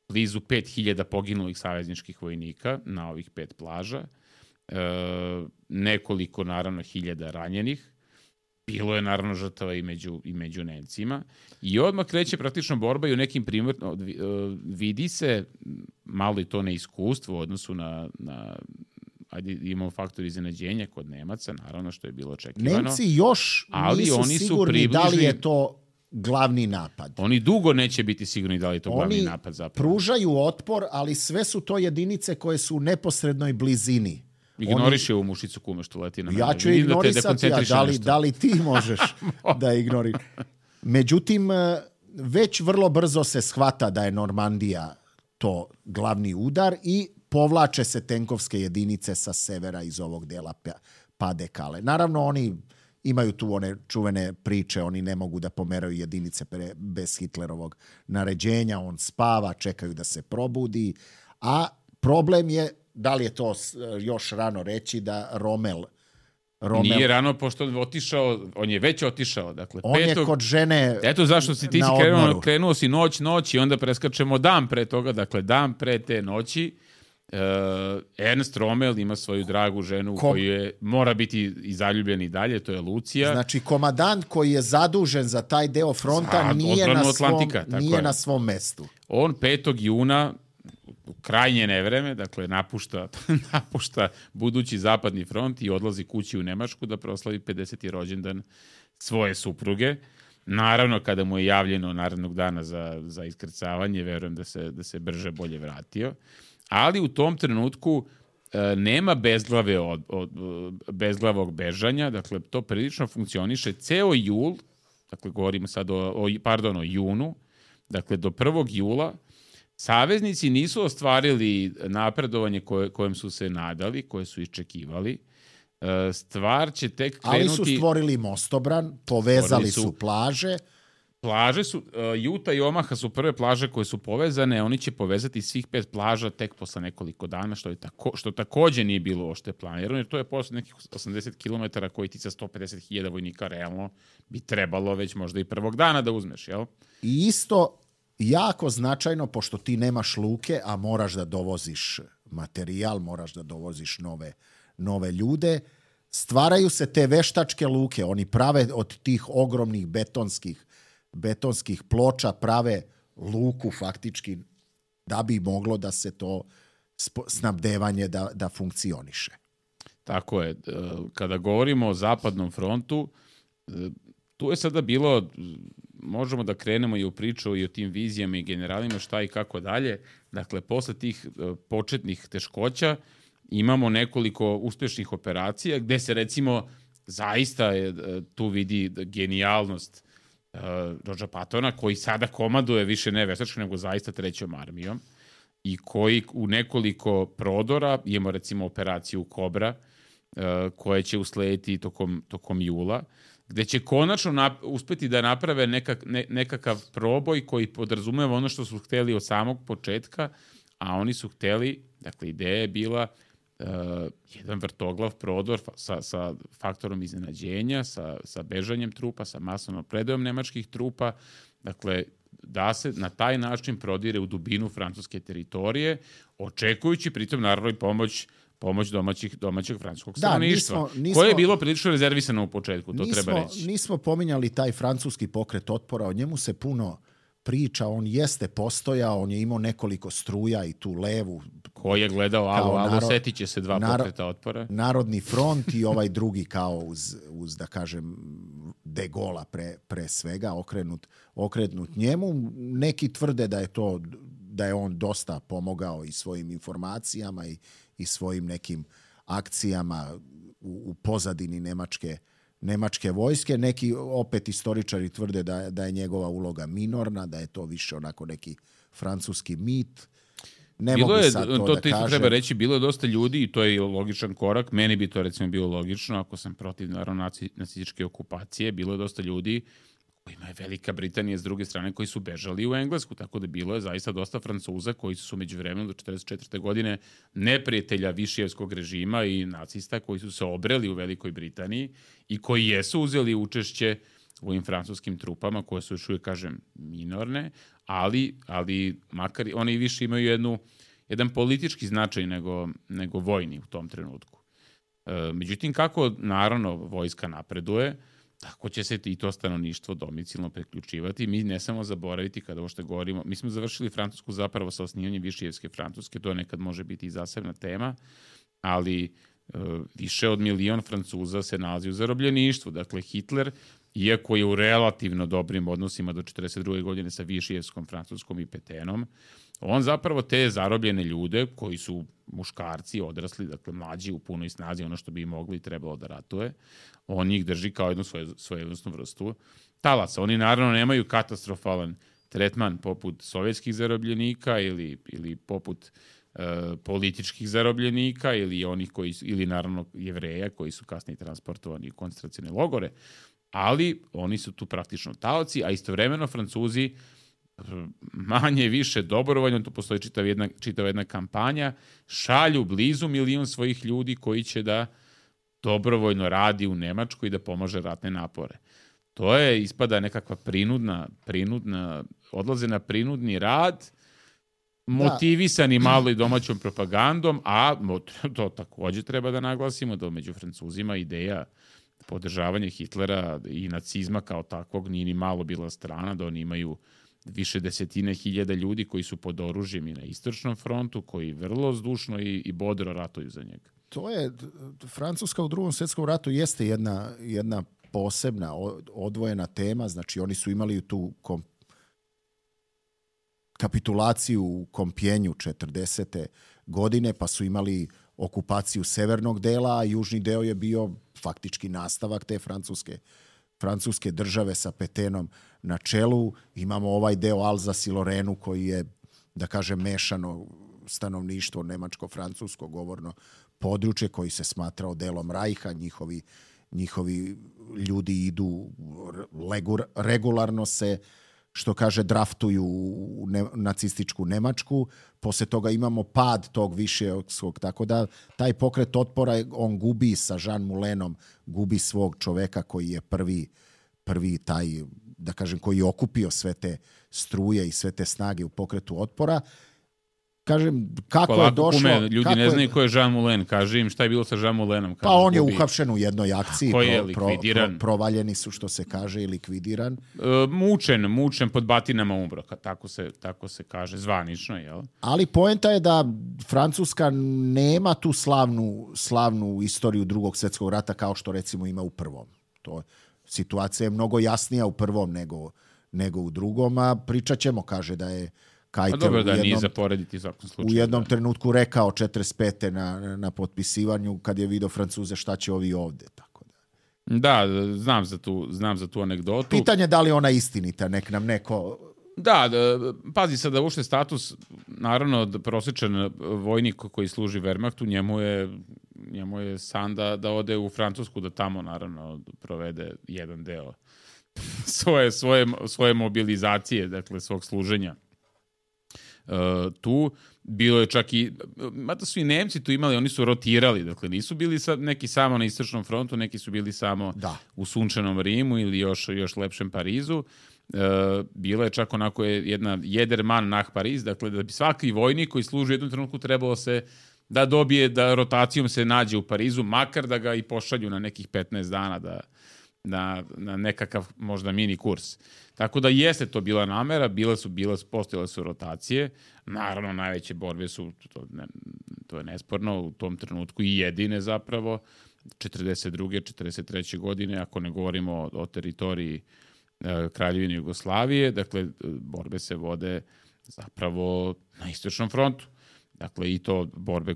blizu 5.000 poginulih savezničkih vojnika na ovih 5 plaža. Nekoliko, naravno, hiljada ranjenih. Bilo je naravno žrtava i među Nemcima. I odmah kreće praktično borba i u nekim vidi se malo i to neiskustvo u odnosu na ajde imamo faktor iznenađenja kod Nemaca, naravno što je bilo očekivano. Nemci još nisu sigurni da li je to glavni napad. Oni dugo neće biti sigurni da li je to glavni napad zapravo. Oni pružaju otpor, ali sve su to jedinice koje su u neposrednoj blizini. Ignoriši ovu mušicu kume što leti na mene. Ja ću ignorisati, da li ti možeš da ignoriš. Međutim, već vrlo brzo se shvata da je Normandija to glavni udar i povlače se tenkovske jedinice sa severa iz ovog dela Pas-de-Calais. Naravno, oni imaju tu one čuvene priče, oni ne mogu da pomeraju jedinice bez Hitlerovog naređenja, on spava, čekaju da se probudi, a problem je, da li je to još rano reći, da Rommel nije rano, pošto on je već otišao. Dakle, on je kod žene. Eto zašto si ti krenuo si noć i onda preskačemo dan pre toga, dakle dan pre te noći. Ernst Rommel ima svoju dragu ženu koju je, mora biti i zaljubljen i dalje, to je Lucija. Znači, komandant koji je zadužen za taj deo fronta nije na svom mestu. On 5. juna u krajnje nevreme, dakle napušta budući zapadni front i odlazi kući u Nemačku da proslavi 50. rođendan svoje supruge. Naravno, kada mu je javljeno narednog dana za iskrcavanje, verujem da se brže bolje vratio. Ali u tom trenutku nema bezglavog bežanja, dakle to prilično funkcioniše ceo jul, dakle govorimo sad o junu, dakle do 1. jula saveznici nisu ostvarili napredovanje kojem su se nadali, koje su iščekivali. Stvar će tek krenuti... Ali su stvorili mostobran, povezali su plaže. Plaže su, Juta i Omaha su prve plaže koje su povezane, oni će povezati svih 5 plaža tek posle nekoliko dana, što takođe nije bilo ošte planirano, jer to je posle nekih 80 km koji ti sa 150.000 vojnika realno bi trebalo već možda i prvog dana da uzmeš, jel? I isto jako značajno, pošto ti nemaš luke, a moraš da dovoziš materijal, moraš da dovoziš nove ljude, stvaraju se te veštačke luke, oni prave od tih ogromnih betonskih ploča, prave luku faktički da bi moglo da se to snabdevanje da funkcioniše. Tako je. Kada govorimo o zapadnom frontu, tu je sada bilo, možemo da krenemo i u priču i o tim vizijama i generalima šta i kako dalje. Dakle, posle tih početnih teškoća imamo nekoliko uspešnih operacija gde se recimo zaista tu vidi genijalnost Georgea Pattona, koji sada komanduje više ne veštački nego zaista 3. armijom i koji u nekoliko prodora, imamo recimo operaciju Kobra, koje će uslediti tokom jula, gde će konačno uspeti da naprave nekakav proboj koji podrazumeva ono što su hteli od samog početka, a oni su hteli, dakle ideja je bila jedan vrtoglav prodor sa faktorom iznenađenja, sa bežanjem trupa, sa masovnom predajom nemačkih trupa, dakle da se na taj način prodire u dubinu francuske teritorije, očekujući pritom naravno i pomoć domaćeg francuskog stanovništva, koje je bilo prilično rezervisano u početku, to treba reći. Nismo pominjali taj francuski pokret otpora, o njemu se puno priča, on jeste postojao, on je imao nekoliko struja i tu levu. Ko je gledao alo, setit će se 2 pokreta otpora. Narodni front i ovaj drugi kao uz da kažem, De Gaulle pre svega, okrenut njemu. Neki tvrde da je on dosta pomogao i svojim informacijama i svojim nekim akcijama u pozadini nemačke vojske. Neki opet istoričari tvrde da je njegova uloga minorna, da je to više onako neki francuski mit. Ne mogu sad to da kažem. Treba reći, bilo je dosta ljudi i to je logičan korak. Meni bi to recimo bilo logično ako sam protiv naravno nacističke okupacije. Bilo je dosta ljudi kojima je Velika Britanija s druge strane koji su bežali u Englesku, tako da bilo je zaista dosta Francuza koji su među vremenom do 1944. godine neprijatelja Višijevskog režima i nacista koji su se obreli u Velikoj Britaniji i koji jesu uzeli učešće u ovim francuskim trupama koje su još uvijek, kažem, minorne, ali makar oni više imaju jedan politički značaj nego vojni u tom trenutku. Međutim, kako naravno vojska napreduje, tako će se i to stanovništvo domicilno priključivati. Mi ne samo zaboraviti kada ovo što govorimo. Mi smo završili Francusku zapravo sa osnivanjem Višijevske Francuske, to nekad može biti i zasebna tema, ali više od 1 milion Francuza se nalazi u zarobljeništvu. Dakle, Hitler, iako je u relativno dobrim odnosima do 1942. godine sa Višijevskom Francuskom i Petenom, on zapravo te zarobljene ljude, koji su muškarci, odrasli, dakle mlađi u punoj snazi, ono što bi mogli i trebalo da ratuje, on ih drži kao jednu svojevrsnu vrstu talaca. Oni naravno nemaju katastrofalan tretman poput sovjetskih zarobljenika ili poput političkih zarobljenika ili naravno Jevreja koji su kasnije transportovani u koncentracione logore, ali oni su tu praktično taoci, a istovremeno Francuzi manje više dobrovoljno, tu postoji čitava jedna kampanja, šalju blizu 1 milion svojih ljudi koji će da dobrovoljno radi u Nemačkoj i da pomaže ratne napore. To je ispada nekakva prinudna odlaze na prinudni rad, motivisani malo i domaćom propagandom, a to takođe treba da naglasimo da među Francuzima ideja podržavanja Hitlera i nacizma kao takvog nije ni malo bila strana, da oni imaju više desetine hiljada ljudi koji su pod oružjem i na istočnom frontu, koji vrlo zdušno i bodro ratuju za njega. To je, Francuska u Drugom svjetskom ratu jeste jedna posebna, odvojena tema, znači oni su imali tu kapitulaciju u Kompjenju 40. godine, pa su imali okupaciju severnog dela, a južni deo je bio faktički nastavak te francuske države sa Petenom na čelu. Imamo ovaj deo Alzas i Lorenu koji je, da kažem, mešano stanovništvo nemačko-francusko govorno područje koji se smatrao delom Rajha. Njihovi ljudi idu regularno se, što kaže, draftuju u nacističku Nemačku. Posle toga imamo pad tog višijevskog, tako da taj pokret otpora, on gubi sa Jean Moulenom, gubi svog čoveka koji je prvi taj, da kažem, koji je okupio sve te struje i sve te snage u pokretu otpora. kažem, kako Polako, je došlo... Kume, ljudi ne znaju ko je Jean Moulin. Kaži im šta je bilo sa Jean Moulinom. Pa on je uhapšen u jednoj akciji. Ko je likvidiran? Provaljeni su, što se kaže, i likvidiran. Mučen pod batinama umro. Tako se kaže, zvanično, jel? Ali poenta je da Francuska nema tu slavnu istoriju Drugog svjetskog rata kao što recimo ima u prvom. Situacija je mnogo jasnija u prvom nego u drugom, a pričat ćemo, kaže da je Keitel nije za porediti u svakom slučaju. U jednom trenutku rekao 45. na potpisivanju kad je vidio Francuze šta će ovi ovde. Tako da, znam za tu anegdotu. Pitanje da li ona istinita, nek nam neko... Da, pazi sad da uopšte status, naravno prosječan vojnik koji služi Wehrmachtu, njemu je san da ode u Francusku, da tamo naravno provede jedan deo svoje mobilizacije, dakle svog služenja. Tu bilo je čak i, mada su i Nemci tu imali, oni su rotirali, dakle nisu bili neki samo na istočnom frontu, neki su bili samo u sunčanom Rimu ili još lepšem Parizu. Bila je čak onako jedna Jedermann nach Paris, dakle da bi svaki vojnik koji služi u jednom trenutku trebalo se da dobije, da rotacijom se nađe u Parizu, makar da ga i pošalju na nekih 15 dana na nekakav možda mini kurs. Tako da jeste to bila namera, postojale su rotacije, naravno najveće borbe su, to je nesporno, u tom trenutku i jedine zapravo, 42. 43. godine, ako ne govorimo o teritoriji Kraljevine Jugoslavije, dakle borbe se vode zapravo na istočnom frontu. Dakle, i to borbe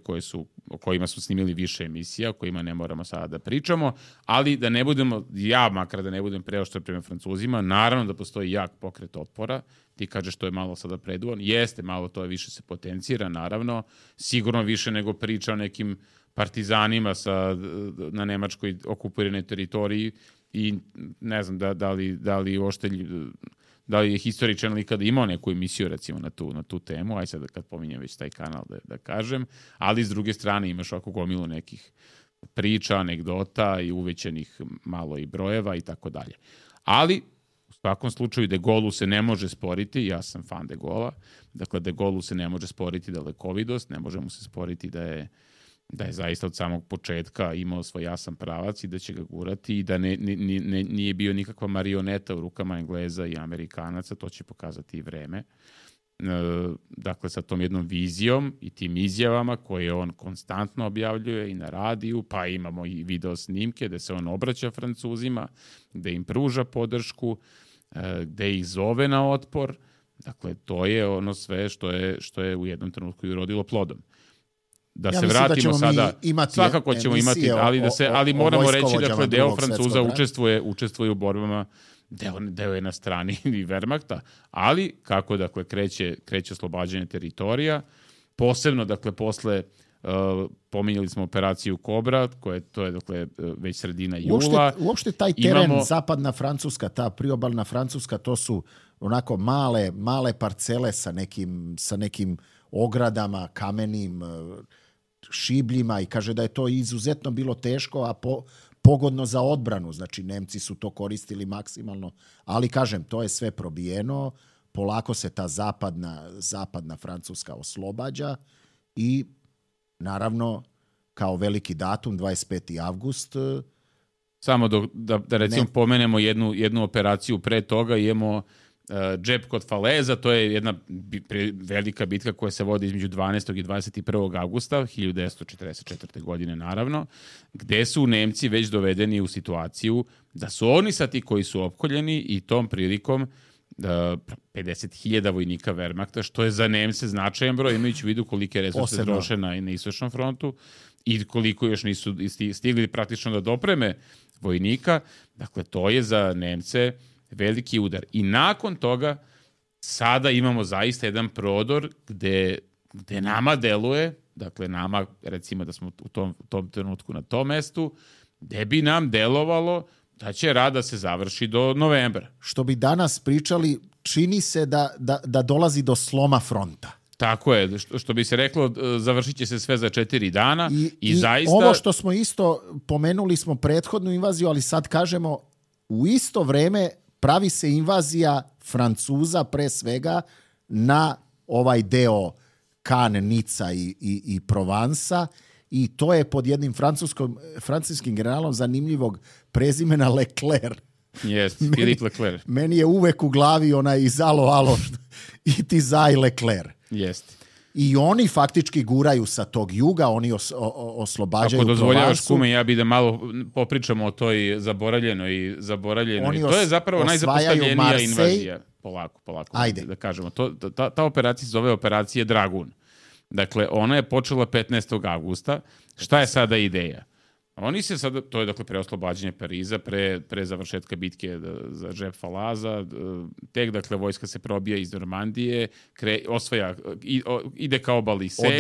o kojima su snimili više emisija, o kojima ne moramo sada da pričamo, ali da ne budemo, makar da ne budem preoštar prema Francuzima, naravno da postoji jak pokret otpora, ti kažeš to je malo sada preduvan, jeste malo, to je više se potencira, naravno, sigurno više nego priča o nekim partizanima na nemačkoj okupiranoj teritoriji i ne znam da li je historičan ikada imao neku emisiju recimo na tu temu, aj sad kad pominjem već taj kanal da kažem, ali s druge strane imaš ovako gomilu nekih priča, anegdota i uvećanih malo i brojeva i tako dalje. Ali u svakom slučaju De Gaullu se ne može sporiti, ja sam fan De Gaulla, dakle De Gaullu se ne može sporiti dalekovidost, ne može mu se sporiti da je zaista od samog početka imao svoj jasan pravac i da će ga gurati i da nije bio nikakva marioneta u rukama Engleza i Amerikanaca, to će pokazati i vreme. Dakle, sa tom jednom vizijom i tim izjavama koje on konstantno objavljuje i na radiju, pa imamo i video snimke gde se on obraća Francuzima, gde im pruža podršku, gde ih zove na otpor. Dakle, to je ono sve što je u jednom trenutku i urodilo plodom. Da se vratimo sada, svakako ćemo imati, ali moramo reći da deo Francuza učestvuje u borbama, deo je na strani i Wehrmachta, ali kako dakle kreće oslobađanje teritorija, posebno dakle posle pominjali smo operaciju Kobra, to je dakle već sredina jula. Uopšte taj teren, zapadna Francuska, ta priobalna Francuska, to su onako male parcele sa nekim ogradama, kamenim šibljima i kaže da je to izuzetno bilo teško, a pogodno za odbranu. Znači, Nemci su to koristili maksimalno, ali kažem, to je sve probijeno, polako se ta zapadna Francuska oslobađa i naravno kao veliki datum 25. avgust. Samo da recimo pomenemo jednu operaciju pre toga, imamo džep kod Faleza, to je jedna velika bitka koja se vodi između 12. i 21. avgusta 1944. godine naravno, gde su Nemci već dovedeni u situaciju da su oni sad ti koji su opkoljeni i tom prilikom 50.000 vojnika Wehrmachta, što je za Nemce značajan broj, imajući u vidu kolike resurse troše na istočnom frontu i koliko još nisu stigli praktično da dopreme vojnika. Dakle, to je za Nemce veliki udar. I nakon toga sada imamo zaista jedan prodor gde nama deluje, dakle nama recimo da smo u tom trenutku na tom mestu, gde bi nam delovalo da će rat da se završi do novembra. Što bi danas pričali, čini se da dolazi do sloma fronta. Tako je, što bi se reklo, završit će se sve za 4 dana. I zaista... ovo što smo isto pomenuli smo prethodnu invaziju, ali sad kažemo u isto vreme pravi se invazija Francuza pre svega na ovaj deo Cannes, Nica i Provansa, i to je pod jednim francuskim generalom zanimljivog prezimena Leclerc. Yes, Philippe Leclerc. Meni je uvek u glavi onaj iz alo, i ti zaj Leclerc. Jeste. I oni faktički guraju sa tog juga, oni oslobađaju Ako dozvoljavaš, Provansu. kume, ja bi da malo popričamo o toj zaboravljenoj. Oni To je zapravo najzapostavljenija Marseille. invazija. Polako. Ajde. Da kažemo. Ta operacija se zove operacija Dragun. Dakle, ona je počela 15. avgusta. Šta je sada ideja? Oni se sada, to je dakle pre oslobađanja Pariza, pre završetka bitke za Džep Falaza, tek dakle vojska se probija iz Normandije, ide ka obali Sene,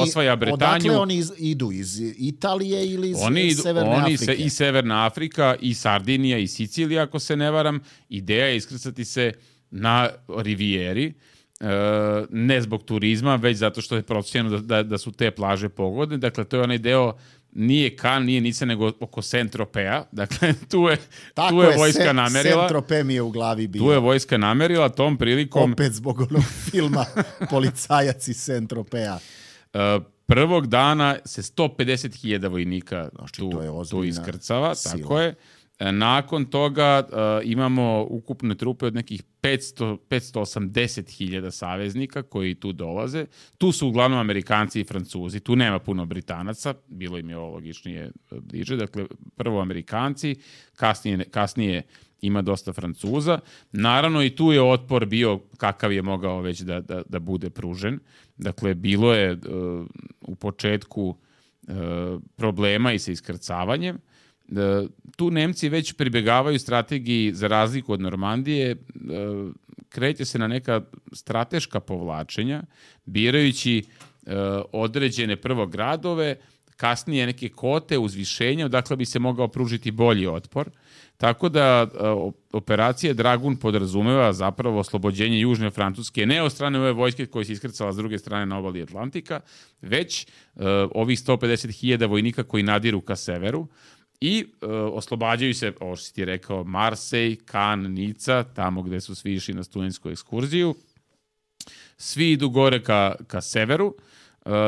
osvaja Bretanju. Odakle oni idu? Iz Italije ili iz Severne Afrike? I Severna Afrika, i Sardinija, i Sicilija, ako se ne varam. Ideja je iskrcati se na Rivijeri, ne zbog turizma, već zato što je procenjeno da su te plaže pogodne. Dakle, to je onaj deo, nije Cannes, nije Nica, nego oko Saint-Tropeza. Dakle, tu je vojska namerila. Saint-Tropez mi je u glavi bio. Tu je vojska namerila, tom prilikom... Opet zbog onog filma Policajac iz Saint-Tropeza. Prvog dana se 150.000 vojnika tu iskrcava, sila. Tako je. Nakon toga imamo ukupne trupe od nekih 580.000 saveznika koji tu dolaze. Tu su uglavnom Amerikanci i Francuzi. Tu nema puno Britanaca. Bilo im je ovo logičnije bliže. Dakle, prvo Amerikanci, kasnije ima dosta Francuza. Naravno i tu je otpor bio kakav je mogao već da bude pružen. Dakle, bilo je u početku problema i sa iskrcavanjem. Tu Nemci već pribegavaju strategiji, za razliku od Normandije, kreće se na neka strateška povlačenja, birajući određene prvo gradove, kasnije neke kote, uzvišenja, odakle bi se mogao pružiti bolji otpor. Tako da operacija Dragun podrazumeva zapravo oslobođenje Južne Francuske, ne od strane ove vojske koje se iskrcala s druge strane na obali Atlantika, već ovih 150.000 vojnika koji nadiru ka severu, i oslobađaju se, ovo što si ti rekao, Marseille, Cannes, Nica, tamo gde su svi išli na studentsku ekskurziju. Svi idu gore ka severu,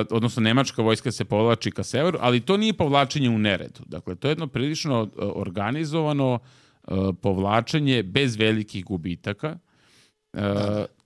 odnosno nemačka vojska se povlači ka severu, ali to nije povlačenje u neredu. Dakle, to je jedno prilično organizovano povlačenje bez velikih gubitaka.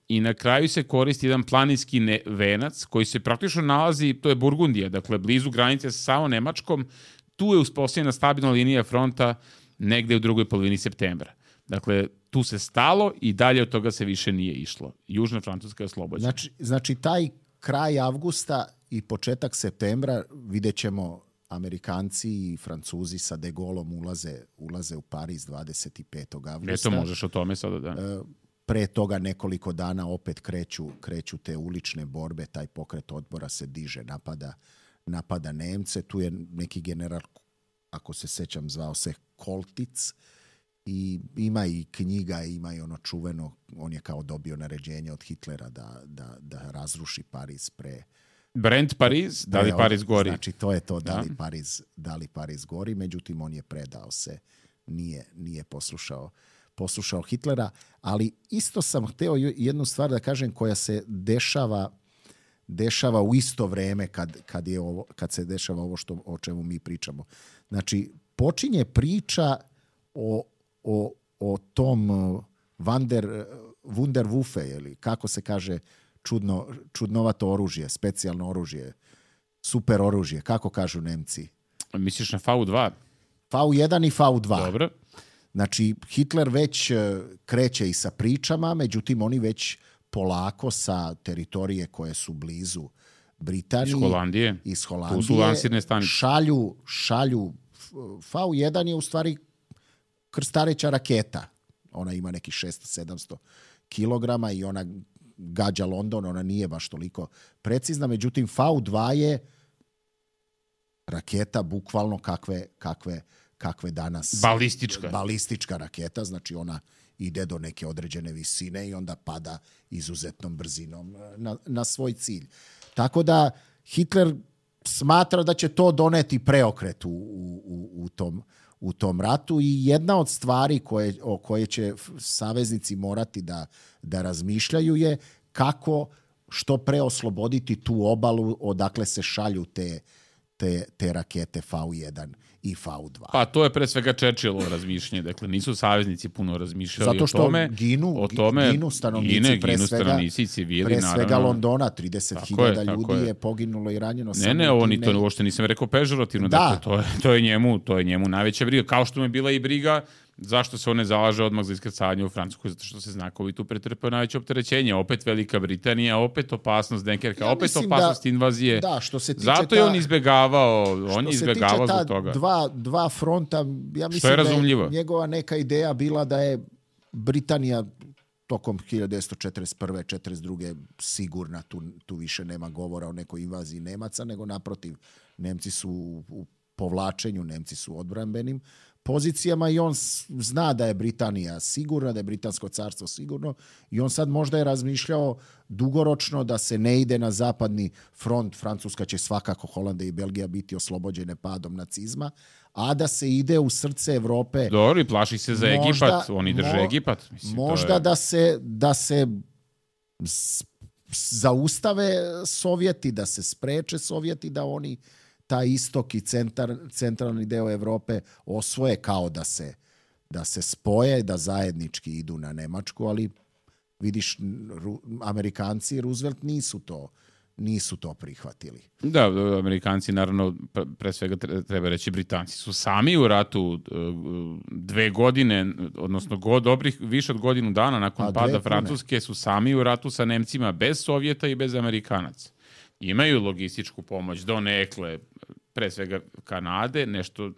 I na kraju se koristi jedan planinski venac koji se praktično nalazi, to je Burgundija, dakle blizu granice sa samo Nemačkom. Tu je uspostavljena stabilna linija fronta negde u drugoj polovini septembra. Dakle, tu se stalo i dalje od toga se više nije išlo. Južna Francuska je oslobođena. Znači, taj kraj avgusta i početak septembra vidjet ćemo Amerikanci i Francuzi sa De Gaulleom ulaze u Pariz 25. avgusta. Eto, možeš o tome sada da... Pre toga nekoliko dana opet kreću te ulične borbe, taj pokret otpora se diže, napada Nemce. Tu je neki general, ako se sećam, zvao se Koltic, i ima i knjiga, ima i ono čuveno, on je kao dobio naređenje od Hitlera da razruši Pariz pre... Brent Pariz, da li Pariz gori? Znači, to je to, da li Pariz gori, međutim, on je predao se, nije poslušao Hitlera, ali isto sam hteo jednu stvar da kažem koja se dešava u isto vreme kad se dešava ovo o čemu mi pričamo. Znači, počinje priča o tom Wunderwaffe, ili kako se kaže, čudnovato oružje, specijalno oružje, super oružje, kako kažu Nemci? Misliš na V2? V1 i V2. Dobro. Znači, Hitler već kreće i sa pričama, međutim, oni već polako sa teritorije koje su blizu Britanije, iz Holandije, tu su lansirne stanice. šalju V1 je u stvari krstareća raketa. Ona ima nekih 600-700 kilograma i ona gađa London, ona nije baš toliko precizna, međutim V2 je raketa bukvalno kakve danas... Balistička raketa, znači ona ide do neke određene visine i onda pada izuzetnom brzinom na svoj cilj. Tako da Hitler smatra da će to doneti preokret u tom ratu i jedna od stvari koje će saveznici morati da razmišljaju je kako što pre osloboditi tu obalu odakle se šalju te rakete V1 i V2. Pa to je pre svega Churchillovo razmišljanje. Dakle, nisu saveznici puno razmišljali zato što o tome. ginu stanovnici, stanovnici, civili, pre svega naravno. Londona, 30.000 ljudi je poginulo i ranjeno. Ne, oni to uopšte nisam rekao pežorativno. Da. Dakle, to je njemu najveća briga. Kao što mu je bila i briga zašto se on ne zalaže odmah za iskrcanje u Francuskoj, zato što se znakovi tu pretrpeo najveće opterećenje. Opet Velika Britanija, opet opasnost Dunkerka, opet opasnost invazije. Da, što se tiče zato je on izbegavao, zbog toga. Dva fronta, ja mislim da je njegova neka ideja bila da je Britanija tokom 1941. 1942. sigurna, tu više nema govora o nekoj invaziji Nemaca, nego naprotiv, Nemci su u povlačenju, Nemci su u odbrambenim pozicijama i on zna da je Britanija sigurna, da je Britansko carstvo sigurno i on sad možda je razmišljao dugoročno da se ne ide na zapadni front. Francuska će svakako, Holandija i Belgija biti oslobođene padom nacizma, a da se ide u srce Evrope. Dobro, i plaši se za Egipat, oni drže Egipat. Mislim, možda da se zaustave Sovjeti, da se spreče Sovjeti, da oni taj istok i centralni deo Evrope osvoje, kao da se spoje, da zajednički idu na Nemačku, ali vidiš, Amerikanci i Roosevelt nisu to prihvatili. Da, Amerikanci, naravno, pre svega treba reći, Britanci su sami u ratu 2 godine, odnosno više od godinu dana nakon pada Francuske, su sami u ratu sa Nemcima bez Sovjeta i bez Amerikanaca. Imaju logističku pomoć donekle, pre svega Kanade, nešto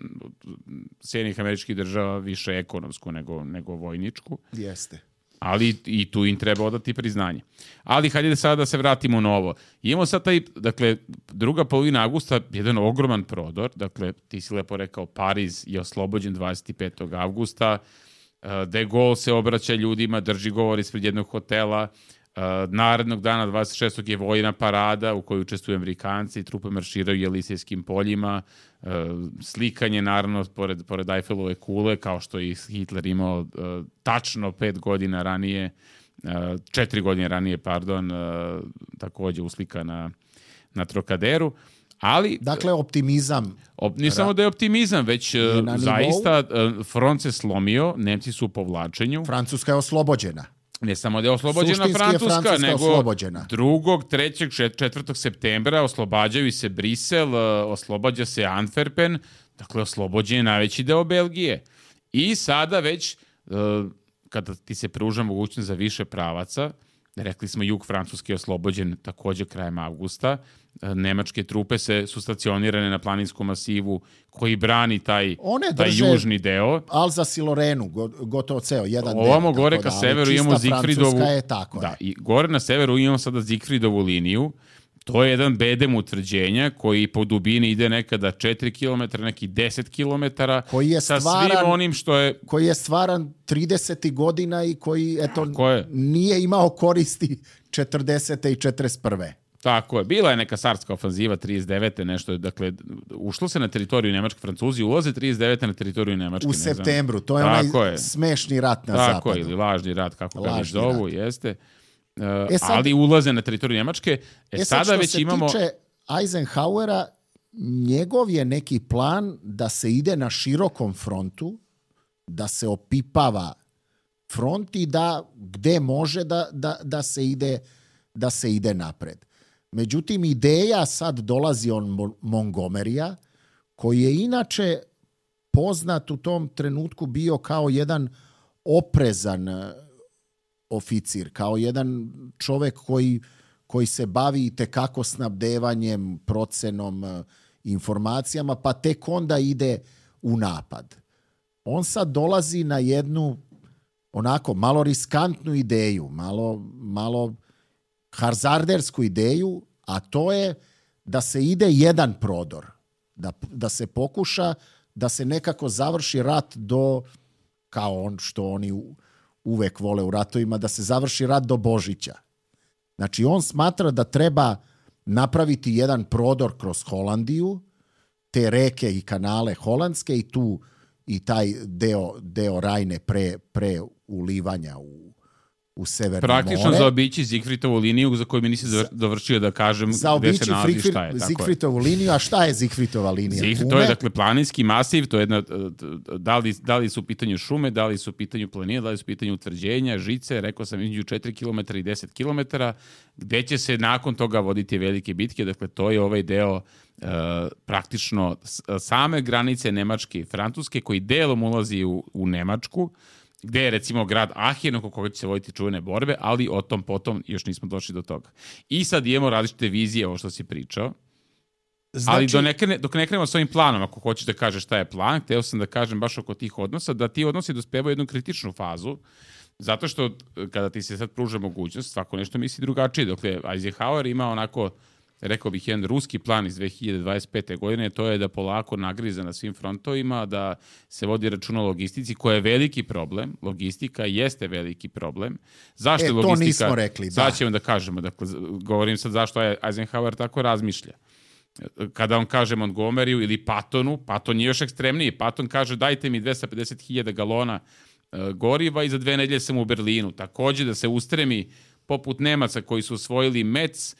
Sjedinjenih Američkih Država više ekonomsku nego vojničku. Jeste. Ali i tu im treba odati priznanje. Ali hajde sada da se vratimo na ovo. Imamo sad dakle, druga polovina avgusta, jedan ogroman prodor. Dakle, ti si lepo rekao, Pariz je oslobođen 25. avgusta. De Gaulle se obraća ljudima, drži govor ispred jednog hotela. Narednog dana 26. je vojna parada u kojoj učestvuju Amerikanci, trupe marširaju Jelisejskim poljima, slikanje naravno pored Eiffelove kule, kao što je Hitler imao tačno 4 godine ranije, takođe uslika na Trokaderu. Ali, dakle, optimizam. Ne samo da je optimizam, već zaista front se slomio, Nemci su u povlačenju. Francuska je oslobođena. Ne samo da je oslobođena Francuska, nego 2., 3., 4. septembra oslobađaju se Brisel, oslobađa se Antwerpen, dakle oslobođen je najveći deo Belgije. I sada već, kada ti se pruža mogućnost za više pravaca, rekli smo jug Francuske je oslobođen također krajem avgusta, nemačke trupe su stacionirane na planinskom masivu koji brani taj južni deo. Alzas i Lorenu, gotovo ceo jedan deo. Ovamo gore ka severu imamo Zigfridovu. Da, i gore na severu imamo sada Zigfridovu liniju. To je jedan bedem utvrđenja koji po dubini ide nekada 4 km, neki 10 km. Koji je sa svim onim što je... Koji je stvaran 30. godina i koji nije imao koristi 40. i 41. Tako je. Bila je neka sarska ofanziva 39. nešto. Dakle, ušlo se na teritoriju Nemačke. Francuzi ulaze 39. na teritoriju Nemačke. U septembru. To je onaj smešni rat na zapadu. Tako je, ili lažni rat, kako ga već zovu, jeste. Ali ulaze na teritoriju Nemačke. Sada već imamo... Što se tiče Eisenhowera, njegov je neki plan da se ide na širokom frontu, da se opipava front i da gde može da se ide napred. Međutim, ideja sad dolazi od Montgomerya, koji je inače poznat u tom trenutku bio kao jedan oprezan oficir, kao jedan čovek koji se bavi itekako snabdevanjem, procenom, informacijama, pa tek onda ide u napad. On sad dolazi na jednu onako malo riskantnu ideju, malo hazardersku ideju, a to je da se ide jedan prodor, da se pokuša da se nekako završi rat kao što oni uvek vole u ratovima, da se završi rat do Božića. Znači, on smatra da treba napraviti jedan prodor kroz Holandiju, te reke i kanale holandske i taj deo Rajne pre ulivanja u Severno Praktično more. zaobići Zigfridovu liniju za koju mi nisi dovršio da kažem gde se nalazi šta je. Zigfridovu liniju, a šta je Zigfridova linija? To je dakle planinski masiv, to je jedna, da li su u pitanju šume, da li su u pitanju planine, da li su u pitanju utvrđenja, žice, rekao sam između 4 km i 10 km, gde će se nakon toga voditi velike bitke, dakle to je ovaj deo praktično same granice Nemačke i Francuske koji delom ulazi u Nemačku, gde je recimo grad Aachen oko koga će se voditi čuvene borbe, ali o tom potom još nismo došli do toga. I sad imamo različite vizije, ovo što si pričao, ali dok ne krenemo s ovim planom, ako hoćeš da kažeš šta je plan, hteo sam da kažem baš oko tih odnosa, da ti odnosi dospevaju jednu kritičnu fazu, zato što kada ti se sad pruža mogućnost, svako nešto misli drugačije. Dakle, Eisenhower ima onako, rekao bih, jedan ruski plan iz 2025. godine, to je da polako nagriza na svim frontovima, da se vodi računa o logistici, koja je veliki problem. Logistika jeste veliki problem. Zašto je logistika? To nismo rekli, da. Sad ćemo da kažemo, dakle, govorim sad zašto je Eisenhower tako razmišlja. Kada on kaže Montgomeryu ili Pattonu, Patton je još ekstremniji. Patton kaže dajte mi 250.000 galona goriva i za 2 nedelje sam u Berlinu. Takođe da se ustremi poput Nemaca koji su osvojili Metz,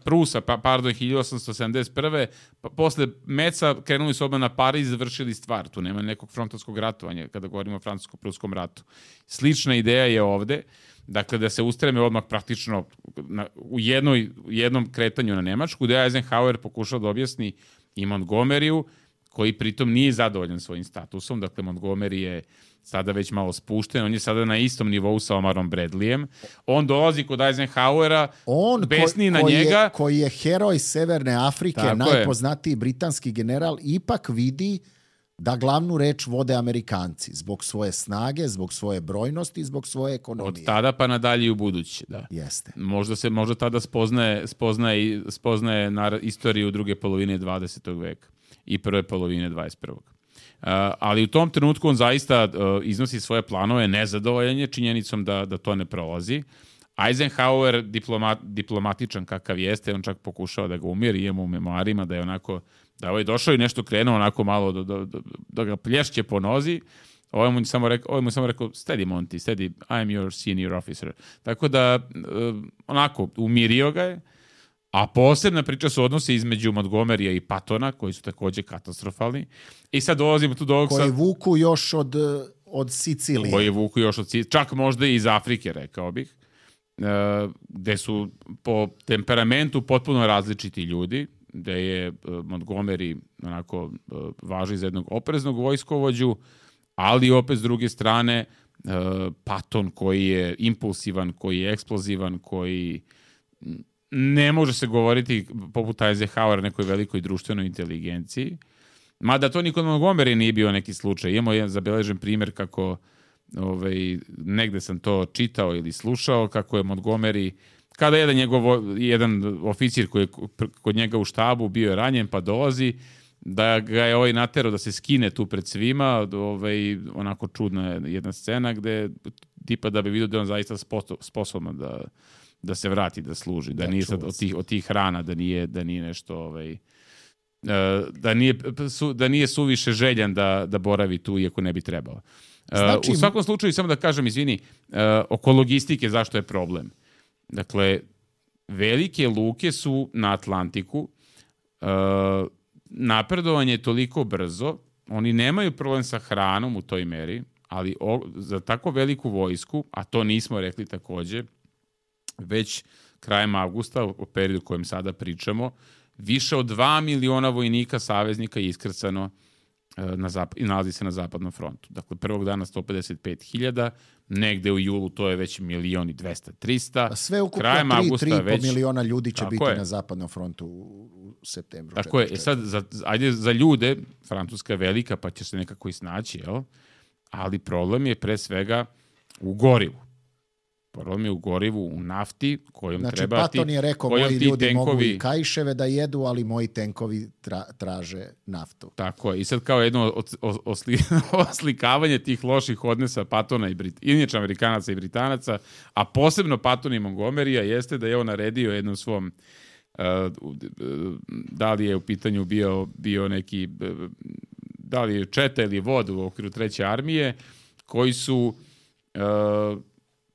Prusa, 1871. Posle Meca krenuli su odmah na Pariz i završili stvar. Tu nema nekog frontovskog ratovanja kada govorimo o francusko-pruskom ratu. Slična ideja je ovde, dakle da se ustreme odmah praktično u jednom kretanju na Nemačku, gde Eisenhower pokušao da objasni i Montgomeryu, koji pritom nije zadovoljan svojim statusom. Dakle, Montgomery je sada već malo spušten, on je sada na istom nivou sa Omarom Bradleyem. On dolazi kod Eisenhowera, besni na njega. Koji je heroj Severne Afrike, najpoznatiji britanski general, ipak vidi da glavnu reč vode Amerikanci. Zbog svoje snage, zbog svoje brojnosti, zbog svoje ekonomije. Od tada pa nadalje u buduće, da. Jeste. Možda tada spoznaje istoriju druge polovine 20. veka i prve polovine 21. Ali u tom trenutku on zaista iznosi svoje planove, nezadovoljan je činjenicom da to ne prolazi. Eisenhower, diplomatičan kakav jeste, on čak pokušao da ga umiri, imamo u memoarima da je onako, da je došao i nešto krenuo onako malo da ga plješće po nozi. Ovo mu samo rekao, steady Monty, steady, I'm your senior officer. Tako da, onako, umirio ga je. A posebna priča su odnosi između Montgomerya i Pattona, koji su takođe katastrofalni. I sad dolazimo tu do ovog... Koji vuku još od Sicilije. Koji vuku još od Sicilije. Čak možda i iz Afrike, rekao bih. Gde su po temperamentu potpuno različiti ljudi. Gde je Montgomery onako važi za jednog opreznog vojskovođu, ali opet s druge strane Patton koji je impulsivan, koji je eksplozivan, koji... Ne može se govoriti poput Eisenhowera nekoj velikoj društvenoj inteligenciji. Mada to nikod Montgomery nije bio neki slučaj. Imamo jedan zabeležen primjer kako negde sam to čitao ili slušao, kako je Montgomery, kada jedan oficir koji je kod njega u štabu bio ranjen pa dolazi, da ga je naterao da se skine tu pred svima, onako čudna jedna scena gde tipa da bi vidio da on zaista sposoban da se vrati da služi, da nije sad od tih rana, da nije nešto da nije suviše željan da boravi tu iako ne bi trebao. Znači, u svakom slučaju, samo da kažem, izvini, oko logistike zašto je problem. Dakle, velike luke su na Atlantiku, napredovanje je toliko brzo, oni nemaju problem sa hranom u toj meri, ali za tako veliku vojsku, a to nismo rekli takođe, već krajem avgusta, u periodu o kojem sada pričamo, više od 2 miliona vojnika saveznika je iskrcano i nalazi se na zapadnom frontu. Dakle, prvog dana 155.000, negde u julu to je već 1.200.000-300. A sve ukupno 3,5 miliona ljudi će biti na zapadnom frontu u septembru. Tako je. Sad, ajde za ljude, Francuska je velika, pa će se nekako i snaći, jel? Ali problem je pre svega u gorivu. Problem je u gorivu, u nafti, kojom treba ti... Znači, Patton je rekao, moji ljudi mogu i kaiševe da jedu, ali moji tenkovi traže naftu. Tako je. I sad kao jedno oslikavanje tih loših odnosa Pattona inače Amerikanaca i Britanaca, a posebno Patton i Montgomerya, jeste da je on naredio jednom svom... da li je u pitanju bio neki... Da li je četa ili vod u okviru treće armije, koji su...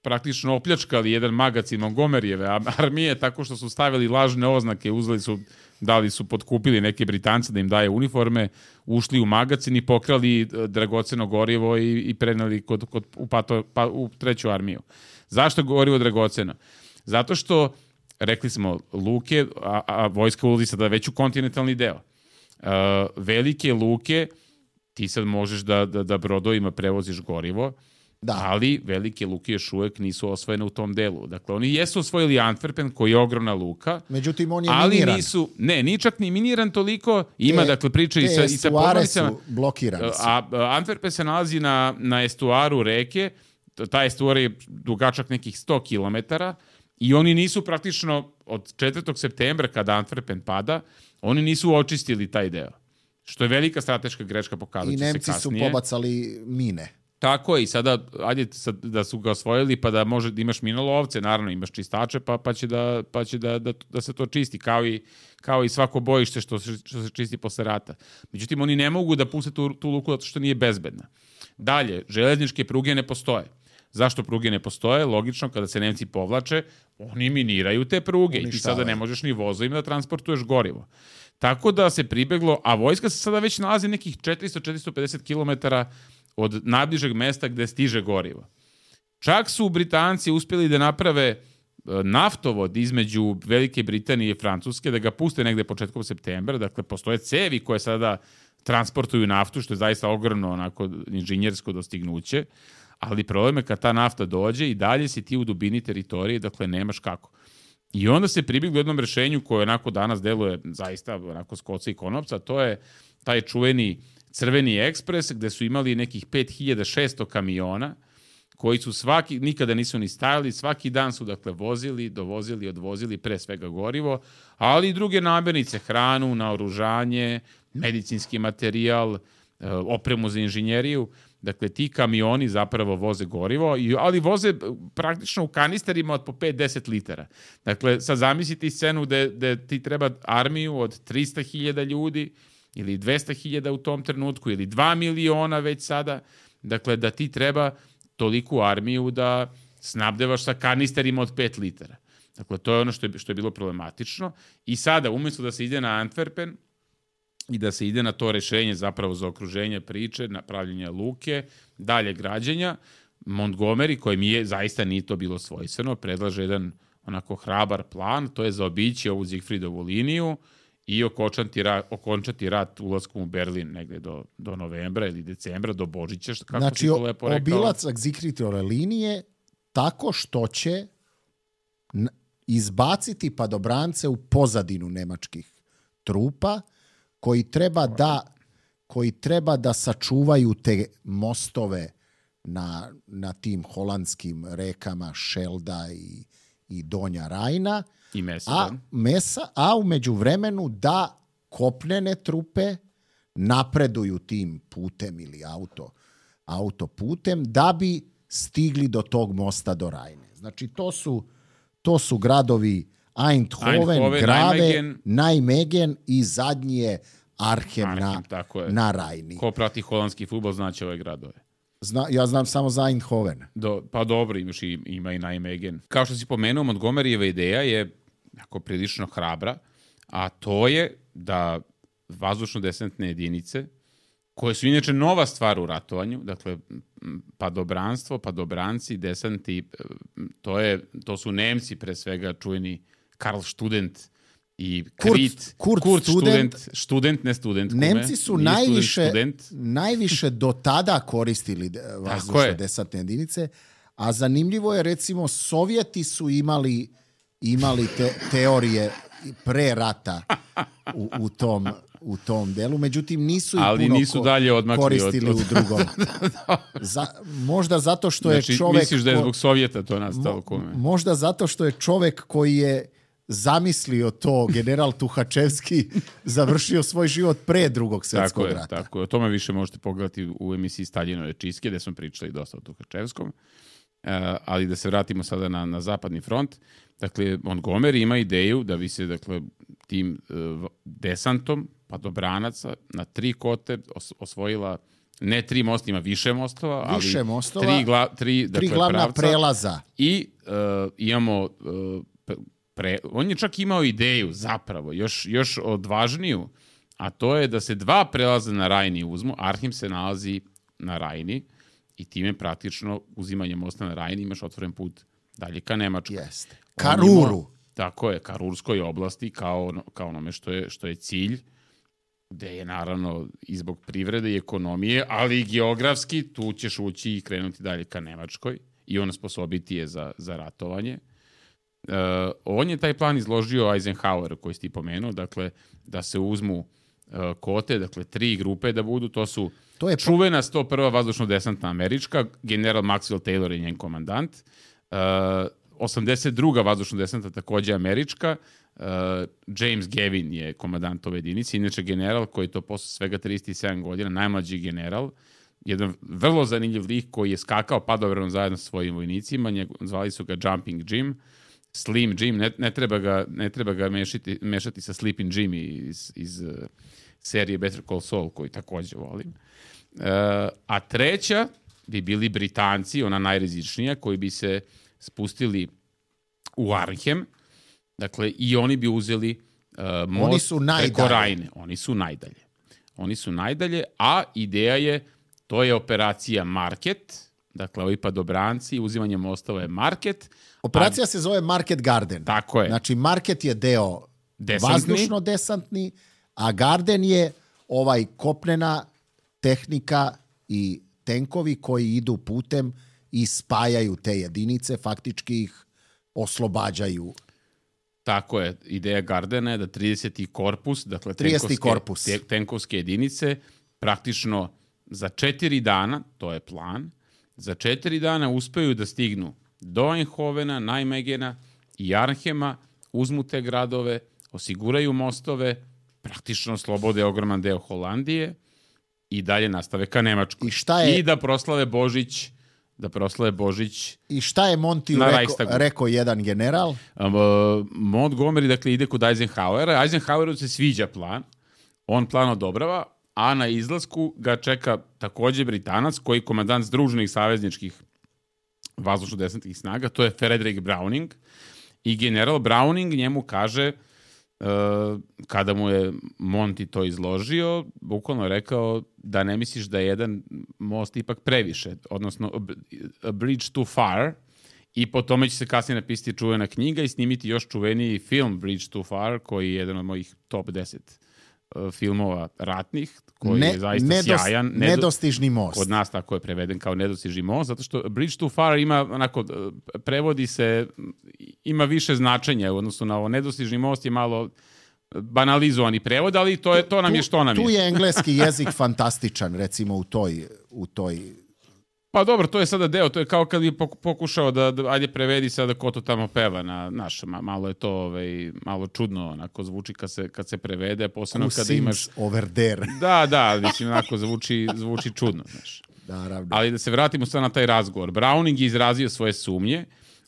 praktično opljačkali jedan magacin Montgomeryjeve armije tako što su stavili lažne oznake, dali su potkupili neke Britance da im daje uniforme, ušli u magacin i pokrali dragoceno gorivo i preneli u treću armiju. Zašto gorivo dragoceno? Zato što, rekli smo, luke, a vojska ulazi sada već u kontinentalni deo. Velike luke, ti sad možeš da brodovima prevoziš gorivo, ali velike luke još uvek nisu osvojene u tom delu. Dakle, oni jesu osvojili Antwerpen, koji je ogromna luka. Međutim, on je miniran. Nije čak ni miniran toliko. Ima, dakle, i sa podmornicama. Su blokirani. A Antwerpen se nalazi na estuaru reke. Ta estuar je dugačak nekih 100 kilometara i oni nisu praktično od 4. septembra, kada Antwerpen pada, oni nisu očistili taj deo. Što je velika strateška greška, pokazat će se kasnije. I Nemci su pobacali mine. Tako je, i sada, ajde da su ga osvojili, pa da može da imaš minolovce, naravno imaš čistače, pa će da se to čisti, kao i svako bojište što se čisti posle rata. Međutim, oni ne mogu da puste tu luku zato što nije bezbedna. Dalje, železničke pruge ne postoje. Zašto pruge ne postoje? Logično, kada se Nemci povlače, oni miniraju te pruge i ti sada ne možeš ni vozovima da transportuješ gorivo. Tako da se pribeglo, a vojska se sada već nalazi nekih 400-450 kilometara od najbližeg mesta gde stiže gorivo. Čak su Britanci uspjeli da naprave naftovod između Velike Britanije i Francuske, da ga puste negde početkom septembra, dakle postoje cevi koje sada transportuju naftu, što je zaista ogromno onako inženjersko dostignuće, ali problem je kad ta nafta dođe i dalje si ti u dubini teritorije, dakle nemaš kako. I onda se pribjeglo jednom rešenju koje onako danas deluje zaista onako s koca i konopca, to je taj čuveni Crveni ekspres, gde su imali nekih 5600 kamiona, koji su nikada nisu ni stajali, svaki dan su dakle vozili, dovozili, odvozili pre svega gorivo, ali i druge namirnice, hranu, naoružanje, medicinski materijal, opremu za inženjeriju. Dakle, ti kamioni zapravo voze gorivo, ali voze praktično u kanisterima od po 5-10 litara. Dakle, sad zamislite scenu gde ti treba armiju od 300.000 ljudi, ili 200.000 u tom trenutku, ili 2 miliona već sada, dakle da ti treba toliku armiju da snabdevaš sa kanisterima od 5 litara. Dakle, to je ono što je bilo problematično. I sada, umjesto da se ide na Antwerpen i da se ide na to rešenje zapravo za okruženje priče, na pravljenje luke, dalje građenja, Montgomery, kojem zaista nije to bilo svojstveno, predlaže jedan onako hrabar plan, to je zaobići ovu Zigfridovu liniju i okončati rat ulaskom u Berlin negde do novembra ili decembra, do Božića, kako si to lepo rekao. Znači, obilacak Zigfridove linije tako što će izbaciti padobrance u pozadinu nemačkih trupa koji treba da sačuvaju te mostove na tim holandskim rekama Šelda i Donja Rajna, i a u međuvremenu da kopnene trupe napreduju tim putem ili autoputem da bi stigli do tog mosta do Rajne. Znači, to su gradovi Eindhoven, Grave, Nijmegen i zadnji je Arnhem na Rajni. Ko prati holandski fudbal znaće ove gradove. Ja znam samo za Eindhoven. Pa dobro, ima i Nijmegen. Kao što si pomenuo, Montgomeryjeva ideja je jako prilično hrabra, a to je da vazdušno-desantne jedinice, koje su inače nova stvar u ratovanju, dakle, padobranstvo, padobranci, desanti, to su Nemci, pre svega čuveni Karl Student i Kurt Student, ne student. Nemci su najviše do tada koristili vazdušno-desantne jedinice, a zanimljivo je, recimo, Sovjeti su imali teorije pre rata u tom delu, međutim nisu koristili u drugom. Možda zato što je čovek... Misliš da je zbog Sovjeta to nastalo kome? Možda zato što je čovek koji je zamislio to, general Tuhačevski, završio svoj život pre Drugog svjetskog rata. Tako je, o tome više možete pogledati u emisiji Staljinove čistke, gde smo pričali dosta o Tuhačevskom. Ali da se vratimo sada na zapadni front. Dakle, Montgomery ima ideju da bi se, dakle, tim desantom padobranaca na 3 kote osvojila Ne 3 mosta, ima više mostova, ali više mostova, tri glavna pravca, prelaza. I imamo... on je čak imao ideju, zapravo, još odvažniju, a to je da se 2 prelaza na Rajni uzmu. Arnhem se nalazi na Rajni i time praktično uzimanjem mosta na Rajni imaš otvoren put dalje ka Nemačkoj. Jeste. Ka Ruru. Tako je, ka Rurskoj oblasti, kao onome što je cilj, gde je naravno i zbog privrede i ekonomije, ali i geografski, tu ćeš ući i krenuti dalje ka Nemačkoj i on sposobiti je za ratovanje. On je taj plan izložio Eisenhower, koji si ti pomenuo, dakle, da se uzmu kote, dakle, 3 grupe da budu, to je čuvena 101. vazdušno-desantna američka, general Maxwell Taylor je njen komandant, 82. vazdušno-desantna takođe američka, James Gavin je komandant ove jedinice, inače general koji je to posle svega 37 godina, najmlađi general, jedan vrlo zanimljiv lik koji je skakao padobranom zajedno sa svojim vojnicima, zvali su ga Jumping Jim, Slim Jim, ne treba ga mešati sa Sleeping Jim iz serije Better Call Saul, koju takođe volim. A treća bi bili Britanci, ona najrizičnija, koji bi se spustili u Arnhem, dakle, i oni bi uzeli most preko Rajne. Oni su najdalje, a ideja je, to je operacija Market, dakle, ovi padobranci, uzimanje mostova je Market. Operacija se zove Market Garden. Tako je. Znači, Market je deo vazdušno-desantni, a Garden je kopnena tehnika i tenkovi koji idu putem i spajaju te jedinice, faktički ih oslobađaju. Tako je. Ideja Gardena je da 30. korpus, dakle, tenkovske jedinice, praktično za 4 dana, to je plan, za 4 dana uspeju da stignu do Eindhovena, Nijmegena i Arnhema, uzmu te gradove, osiguraju mostove, praktično slobode ogroman deo Holandije i dalje nastave ka Nemačkoj. I da proslave Božić. I šta je Montiju rekao jedan general? Montgomery, dakle, ide kod Eisenhowera. Eisenhoweru se sviđa plan. On plan odobrava, a na izlasku ga čeka takođe Britanac, koji je komandant Združenih savezničkih vazdušno-desantnih snaga, to je Frederick Browning. I general Browning njemu kaže, kada mu je Monty to izložio, bukvalno je rekao da ne misliš da je jedan most ipak previše, odnosno a bridge too far, i po tome će se kasnije napisati čuvena knjiga i snimiti još čuveniji film Bridge too far, koji je jedan od mojih top 10 filmova ratnih, koji je zaista sjajan. Nedostižni most. Kod nas tako je preveden kao nedostižni most, zato što Bridge too far ima, onako, prevodi se, ima više značenja, odnosno na ovo nedostižni most je malo banalizovani prevod, ali to nam je što nam je. Tu je engleski jezik fantastičan, recimo u toj... Pa dobro, to je sada deo, to je kao kad bi pokušao da ajde prevedi sada ko to tamo peva na naš, malo je to malo čudno, onako zvuči kad se prevede, posebno kada imaš... over there. Da, mislim, onako zvuči čudno, znaš. Ali da se vratimo sad na taj razgovor. Browning je izrazio svoje sumnje,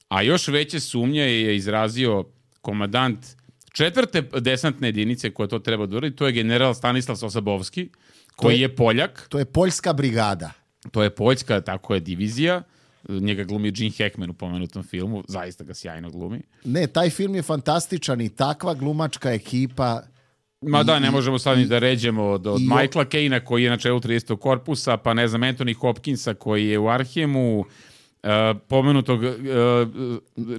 a još veće sumnje je izrazio komandant 4. desantne jedinice koja to treba da uradi, to je general Stanislav Sosabovski, koji je Poljak. To je poljska brigada. To je poljska, tako je, divizija. Njega glumi Gene Hackman u pomenutom filmu. Zaista ga sjajno glumi. Ne, taj film je fantastičan i takva glumačka ekipa... Ne možemo sad ni da ređemo od Michaela Caine, koji je na čelu 30. korpusa, pa ne znam, Anthony Hopkinsa, koji je u Arnhemu, pomenutog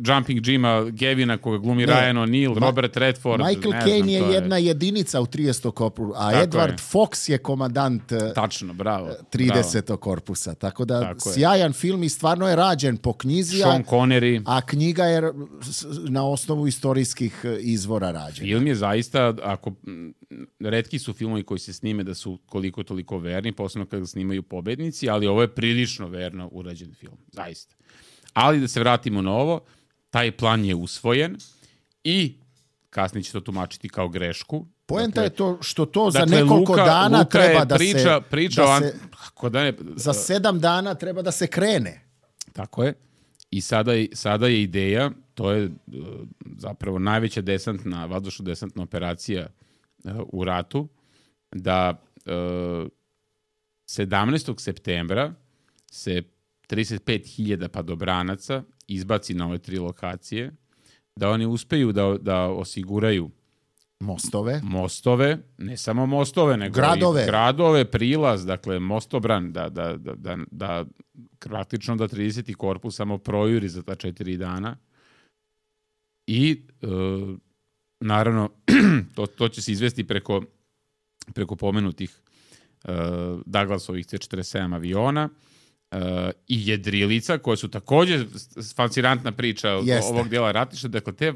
Jumping Jima Gavina, koga glumi Ryan O'Neal, Robert Redford. Michael Caine je jedna jedinica u 30. korpusu, a Edward Fox je komandant 30. korpusa. Tako da sjajan film i stvarno je rađen po knjizi, Sean Connery. A knjiga je na osnovu istorijskih izvora rađena. Film je zaista, retki su filmovi koji se snime da su koliko toliko verni, posebno kada snimaju pobednici, ali ovo je prilično verno urađen film. Zaista. Ali da se vratimo na ovo, taj plan je usvojen i kasnije će to tumačiti kao grešku. Poenta je to što to za nekoliko dana treba da se... Za 7 dana treba da se krene. Tako je. I sada je ideja, to je zapravo najveća vazdušno-desantna operacija u ratu, da 17. septembra se 35.000 padobranaca izbaci na ove 3 lokacije, da oni uspeju da osiguraju mostove, ne samo mostove, nego i gradove, prilaz, dakle mostobran, da praktično da 30. korpus samo projuri za ta 4 dana. I naravno to će se izvesti preko pomenutih Douglasovih C-47 aviona i jedrilica, koje su također fascinantna priča ovog dijela ratišta. Dakle, te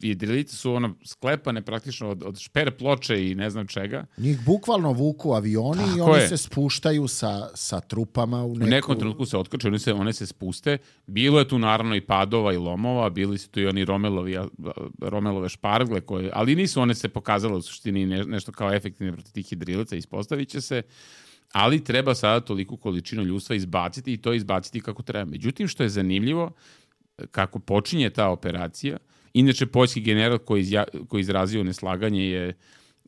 jedrilice su sklepane praktično od šper ploče i ne znam čega. Njih bukvalno vuku avioni i oni se spuštaju sa trupama u nekom trenutku se otkače, one se spuste. Bilo je tu naravno i padova i lomova, bili su tu i oni Romelove špargle, ali nisu one se pokazale u suštini nešto kao efektivne protiv tih jedrilica, ispostavit će se. Ali treba sada toliku količinu ljudstva izbaciti i to izbaciti kako treba. Međutim, što je zanimljivo, kako počinje ta operacija, inače poljski general koji izrazio neslaganje je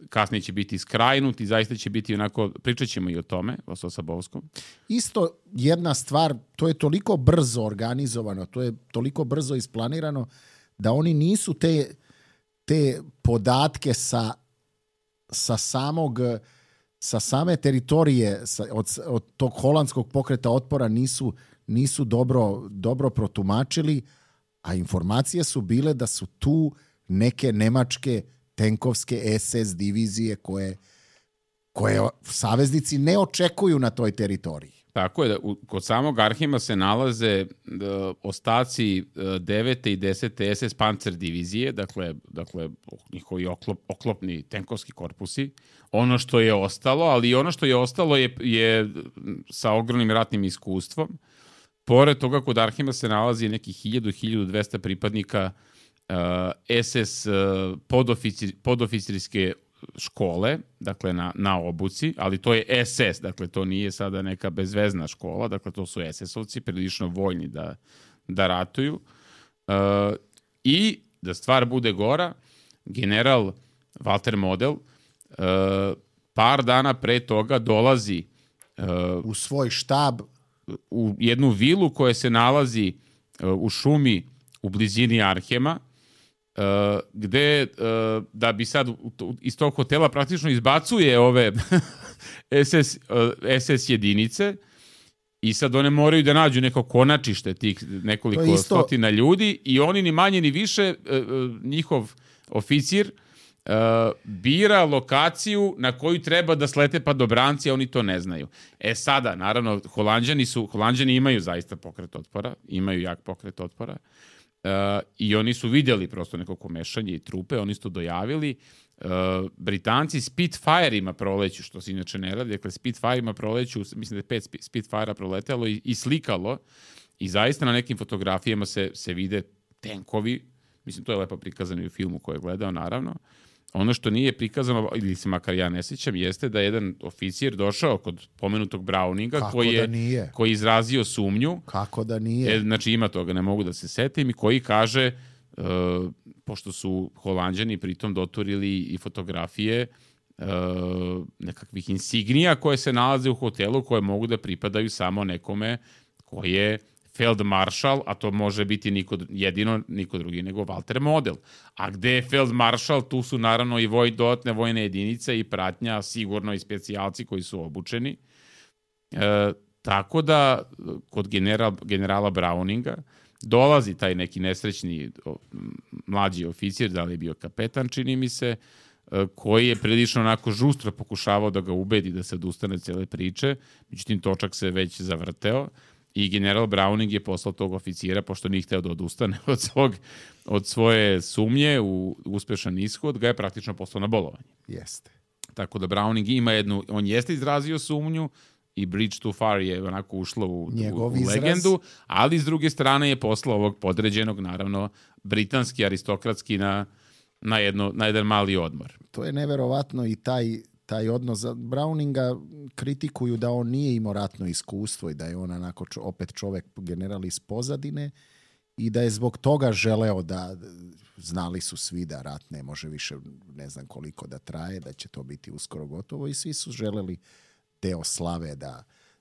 kasnije će biti skrajnut i zaista će biti onako, pričat ćemo i o tome, o Sosabovskom. Isto jedna stvar, to je toliko brzo organizovano, to je toliko brzo isplanirano, da oni nisu te podatke sa same teritorije, od tog holandskog pokreta otpora nisu dobro protumačili, a informacije su bile da su tu neke nemačke tenkovske SS divizije koje saveznici ne očekuju na toj teritoriji. Tako je, da kod samog Arhima se nalaze ostaci 9. i 10. SS Panzer divizije, dakle njihovi oklopni tenkovski korpusi. Ono što je ostalo, ali ono što je ostalo je sa ogromnim ratnim iskustvom. Pored toga, kod Arhima se nalazi nekih 1000-1200 pripadnika SS podoficirske škole, dakle na obuci, ali to je SS, dakle to nije sada neka bezvezna škola, dakle to su SS-ovci, prilično voljni da ratuju. I da stvar bude gora, general Walter Model par dana pre toga dolazi u svoj štab u jednu vilu koja se nalazi u šumi u blizini Arhema, gde da bi sad iz tog hotela praktično izbacuje ove SS jedinice i sad one moraju da nađu neko konačište tih nekoliko stotina ljudi i oni ni manje ni više, njihov oficir bira lokaciju na koju treba da slete padobranci, a oni to ne znaju. Sada, naravno, Holanđani imaju zaista pokret otpora, imaju jak pokret otpora, i oni su vidjeli prosto neko komešanje i trupe, oni su to dojavili. Britanci Spitfire-ima proleću, što se inače ne radi, dakle Spitfire-ima proleću, mislim da je 5 Spitfire-a proletelo i slikalo, i zaista na nekim fotografijama se vide tenkovi, mislim to je lepo prikazano i u filmu koji je gledao, naravno. Ono što nije prikazano, ili se makar ja ne sjećam, jeste da je jedan oficir došao kod pomenutog Browninga koji je izrazio sumnju. Kako da nije? Znači ima toga, ne mogu da se setim, i koji kaže, pošto su Holanđani pritom doturili i fotografije nekakvih insignija koje se nalaze u hotelu, koje mogu da pripadaju samo nekome koji je Feldmaršal, a to može biti niko drugi nego Walter Model. A gde je Feldmaršal, tu su naravno i dodatne vojne jedinice i pratnja, sigurno i specijalci koji su obučeni. Tako da kod generala Browninga dolazi taj neki nesrećni mlađi oficir, da li je bio kapetan, čini mi se, koji je prilično onako žustro pokušavao da ga ubedi da se odustane cele priče, međutim točak se već zavrteo. I general Browning je poslao tog oficira, pošto nije hteo da odustane od svoje sumnje u uspešan ishod, ga je praktično poslao na bolovanje. Jeste. Tako da Browning ima on jeste izrazio sumnju i Bridge Too Far je onako ušlo u legendu, ali s druge strane je poslao ovog podređenog, naravno, britanski, aristokratski na jedan mali odmor. To je neverovatno i taj odnos. Za Browninga kritikuju da on nije imao ratno iskustvo i da je on onako opet čovek general iz pozadine i da je zbog toga želeo da, znali su svi da rat ne može više ne znam koliko da traje, da će to biti uskoro gotovo, i svi su želeli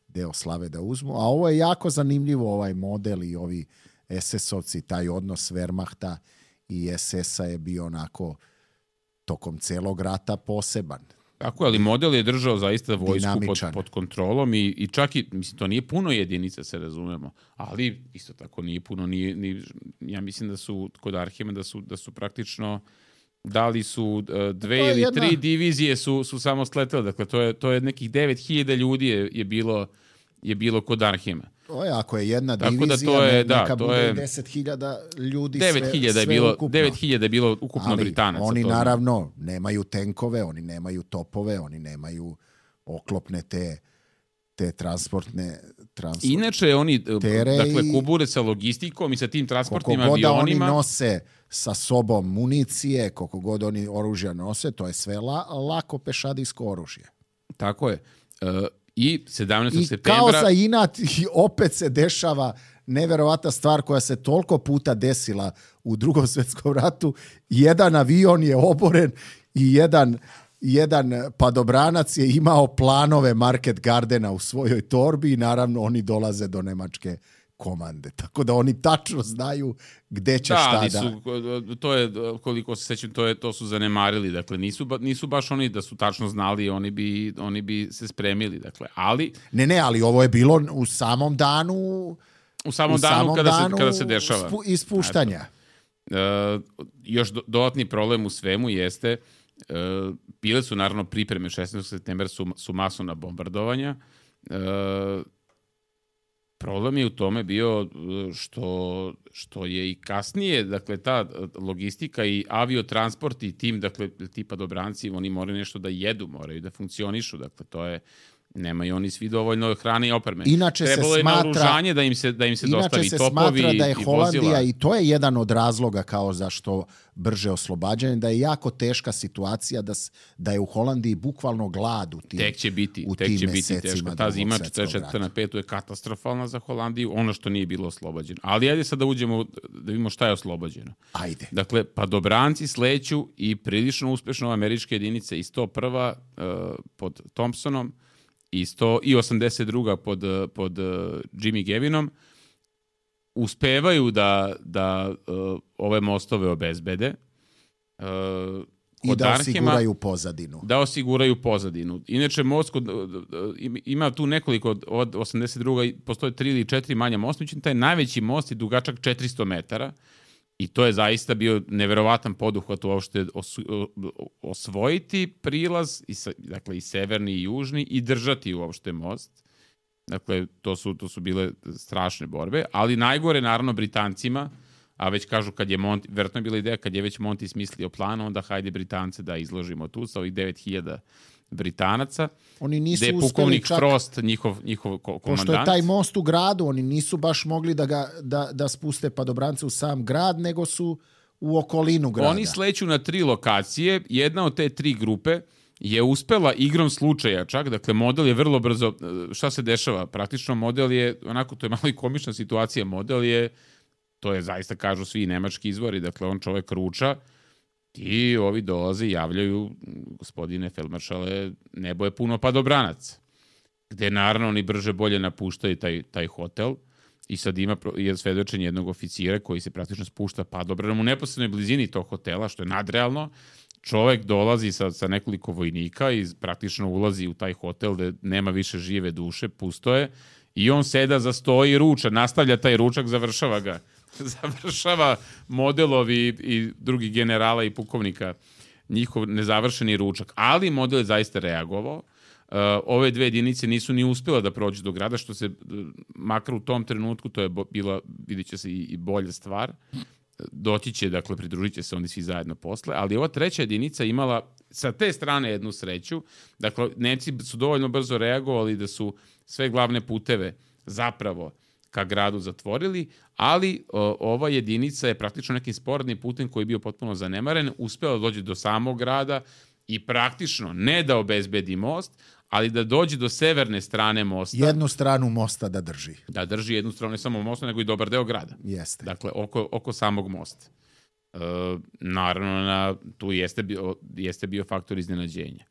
deo slave da uzmu. A ovo je jako zanimljivo, ovaj model i ovi SS-ovci, taj odnos Wehrmachta i SS-a je bio onako tokom celog rata poseban. Tako, ali model je držao zaista vojsku pod kontrolom i čak i, mislim, to nije puno jedinica, se razumemo, ali isto tako nije puno, ja mislim da su kod Arhima da su praktično dali su 2 ili 3 divizije su samo sletele, dakle to je nekih 9000 ljudi je bilo kod Arhima. To je, ako je jedna divizija, neka bude 10.000 ljudi, 9.000 je bilo ukupno. 9.000 je bilo ukupno ali Britanaca. Oni naravno nemaju tenkove, oni nemaju topove, oni nemaju oklopne te transportne Inače oni dakle kubure sa logistikom i sa tim transportnim avionima. Koliko god oni nose sa sobom municije, koliko god oni oružja nose, to je sve lako pešadijsko oružje. Tako je. I 17. septembra... I kao za inat, opet se dešava neverovatna stvar koja se toliko puta desila u Drugom svjetskom ratu. Jedan avion je oboren i jedan padobranac je imao planove Market Gardena u svojoj torbi i naravno oni dolaze do nemačke komande. Tako da oni tačno znaju gde će šta da... To je, koliko se sećam, to su zanemarili. Dakle, nisu baš oni da su tačno znali, oni bi se spremili. Dakle, ali... Ne, ali ovo je bilo u samom danu... U samom danu kada se dešava. Ispuštanja. Još dodatni problem u svemu jeste... bile su naravno pripreme 16. septembra su masovna bombardovanja. Problem je u tome bio što je i kasnije, dakle, ta logistika i aviotransport i tim, dakle, tipa dobranci, oni moraju nešto da jedu, moraju da funkcionišu, dakle, to je, nemaju oni svi dovoljno hrane i opreme. Trebalo je naoružanje da im se dostavi topovi i vozila. Inače se smatra da je Holandija, i to je jedan od razloga kao zašto brže oslobađanje, da je jako teška situacija, da je u Holandiji bukvalno glad u tim mesecima. Tek će biti teško. Ta zima 44. na 5. je katastrofalna za Holandiju, ono što nije bilo oslobađeno. Ali ajde sad da uđemo, da vidimo šta je oslobađeno. Ajde. Dakle, padobranci sleću i prilično uspešno američke jedinice i 101. Pod Thompsonom i 82. pod Jimmy Gavinom uspevaju da ove mostove obezbede. I da osiguraju pozadinu. Da osiguraju pozadinu. Inače, most ima tu nekoliko, od 82. postoje 3 ili 4 manja mosta, taj najveći most je dugačak 400 metara i to je zaista bio neverovatan poduhvat uopšte osvojiti prilaz, dakle i severni i južni, i držati uopšte most. Dakle, to su bile strašne borbe, ali najgore naravno Britancima, a već kažu kad je Monty, verovatno je bila ideja kad je već Monty smislio plan, onda hajde Britance da izložimo tu sa ovih 9000 Britanaca. Oni nisu gde je pukovnik Frost, njihov komandant. Pošto je taj most u gradu, oni nisu baš mogli da spuste padobrance u sam grad, nego su u okolinu grada. Oni sleću na 3 lokacije, jedna od te 3 grupe je uspela igrom slučaja čak, dakle model je vrlo brzo, šta se dešava? Praktično model je, onako to je malo i komična situacija, model je, to je zaista kažu svi nemački izvori, dakle on čovek ruča i ovi dolaze i javljaju, gospodine feldmaršale, nebo je puno padobranac. Gde naravno oni brže bolje napuštaju taj hotel i sad ima svedočenje jednog oficira koji se praktično spušta padobranom u neposrednoj blizini tog hotela, što je nadrealno. Čovek dolazi sa nekoliko vojnika i praktično ulazi u taj hotel gde nema više žive duše, pusto je, i on seda za sto i ruča, nastavlja taj ručak, završava ga. Završava modelovi i drugi generala i pukovnika njihov nezavršeni ručak. Ali model je zaista reagovao. Ove 2 jedinice nisu ni uspjela da prođu do grada, što se, makar u tom trenutku, to je bila, vidit će se i bolja stvar. Doći će, dakle, pridružit će se oni svi zajedno posle, ali ova 3. jedinica imala sa te strane jednu sreću. Dakle, Nemci su dovoljno brzo reagovali da su sve glavne puteve zapravo ka gradu zatvorili, ali ova jedinica je praktično nekim sporednim putem koji je bio potpuno zanemaren, uspela da dođe do samog grada i praktično ne da obezbedi most, ali da dođe do severne strane mosta. Jednu stranu mosta da drži. Da drži jednu stranu, ne samo mosta, nego i dobar deo grada. Jeste. Dakle, oko samog mosta. Naravno, tu jeste bio faktor iznenađenja.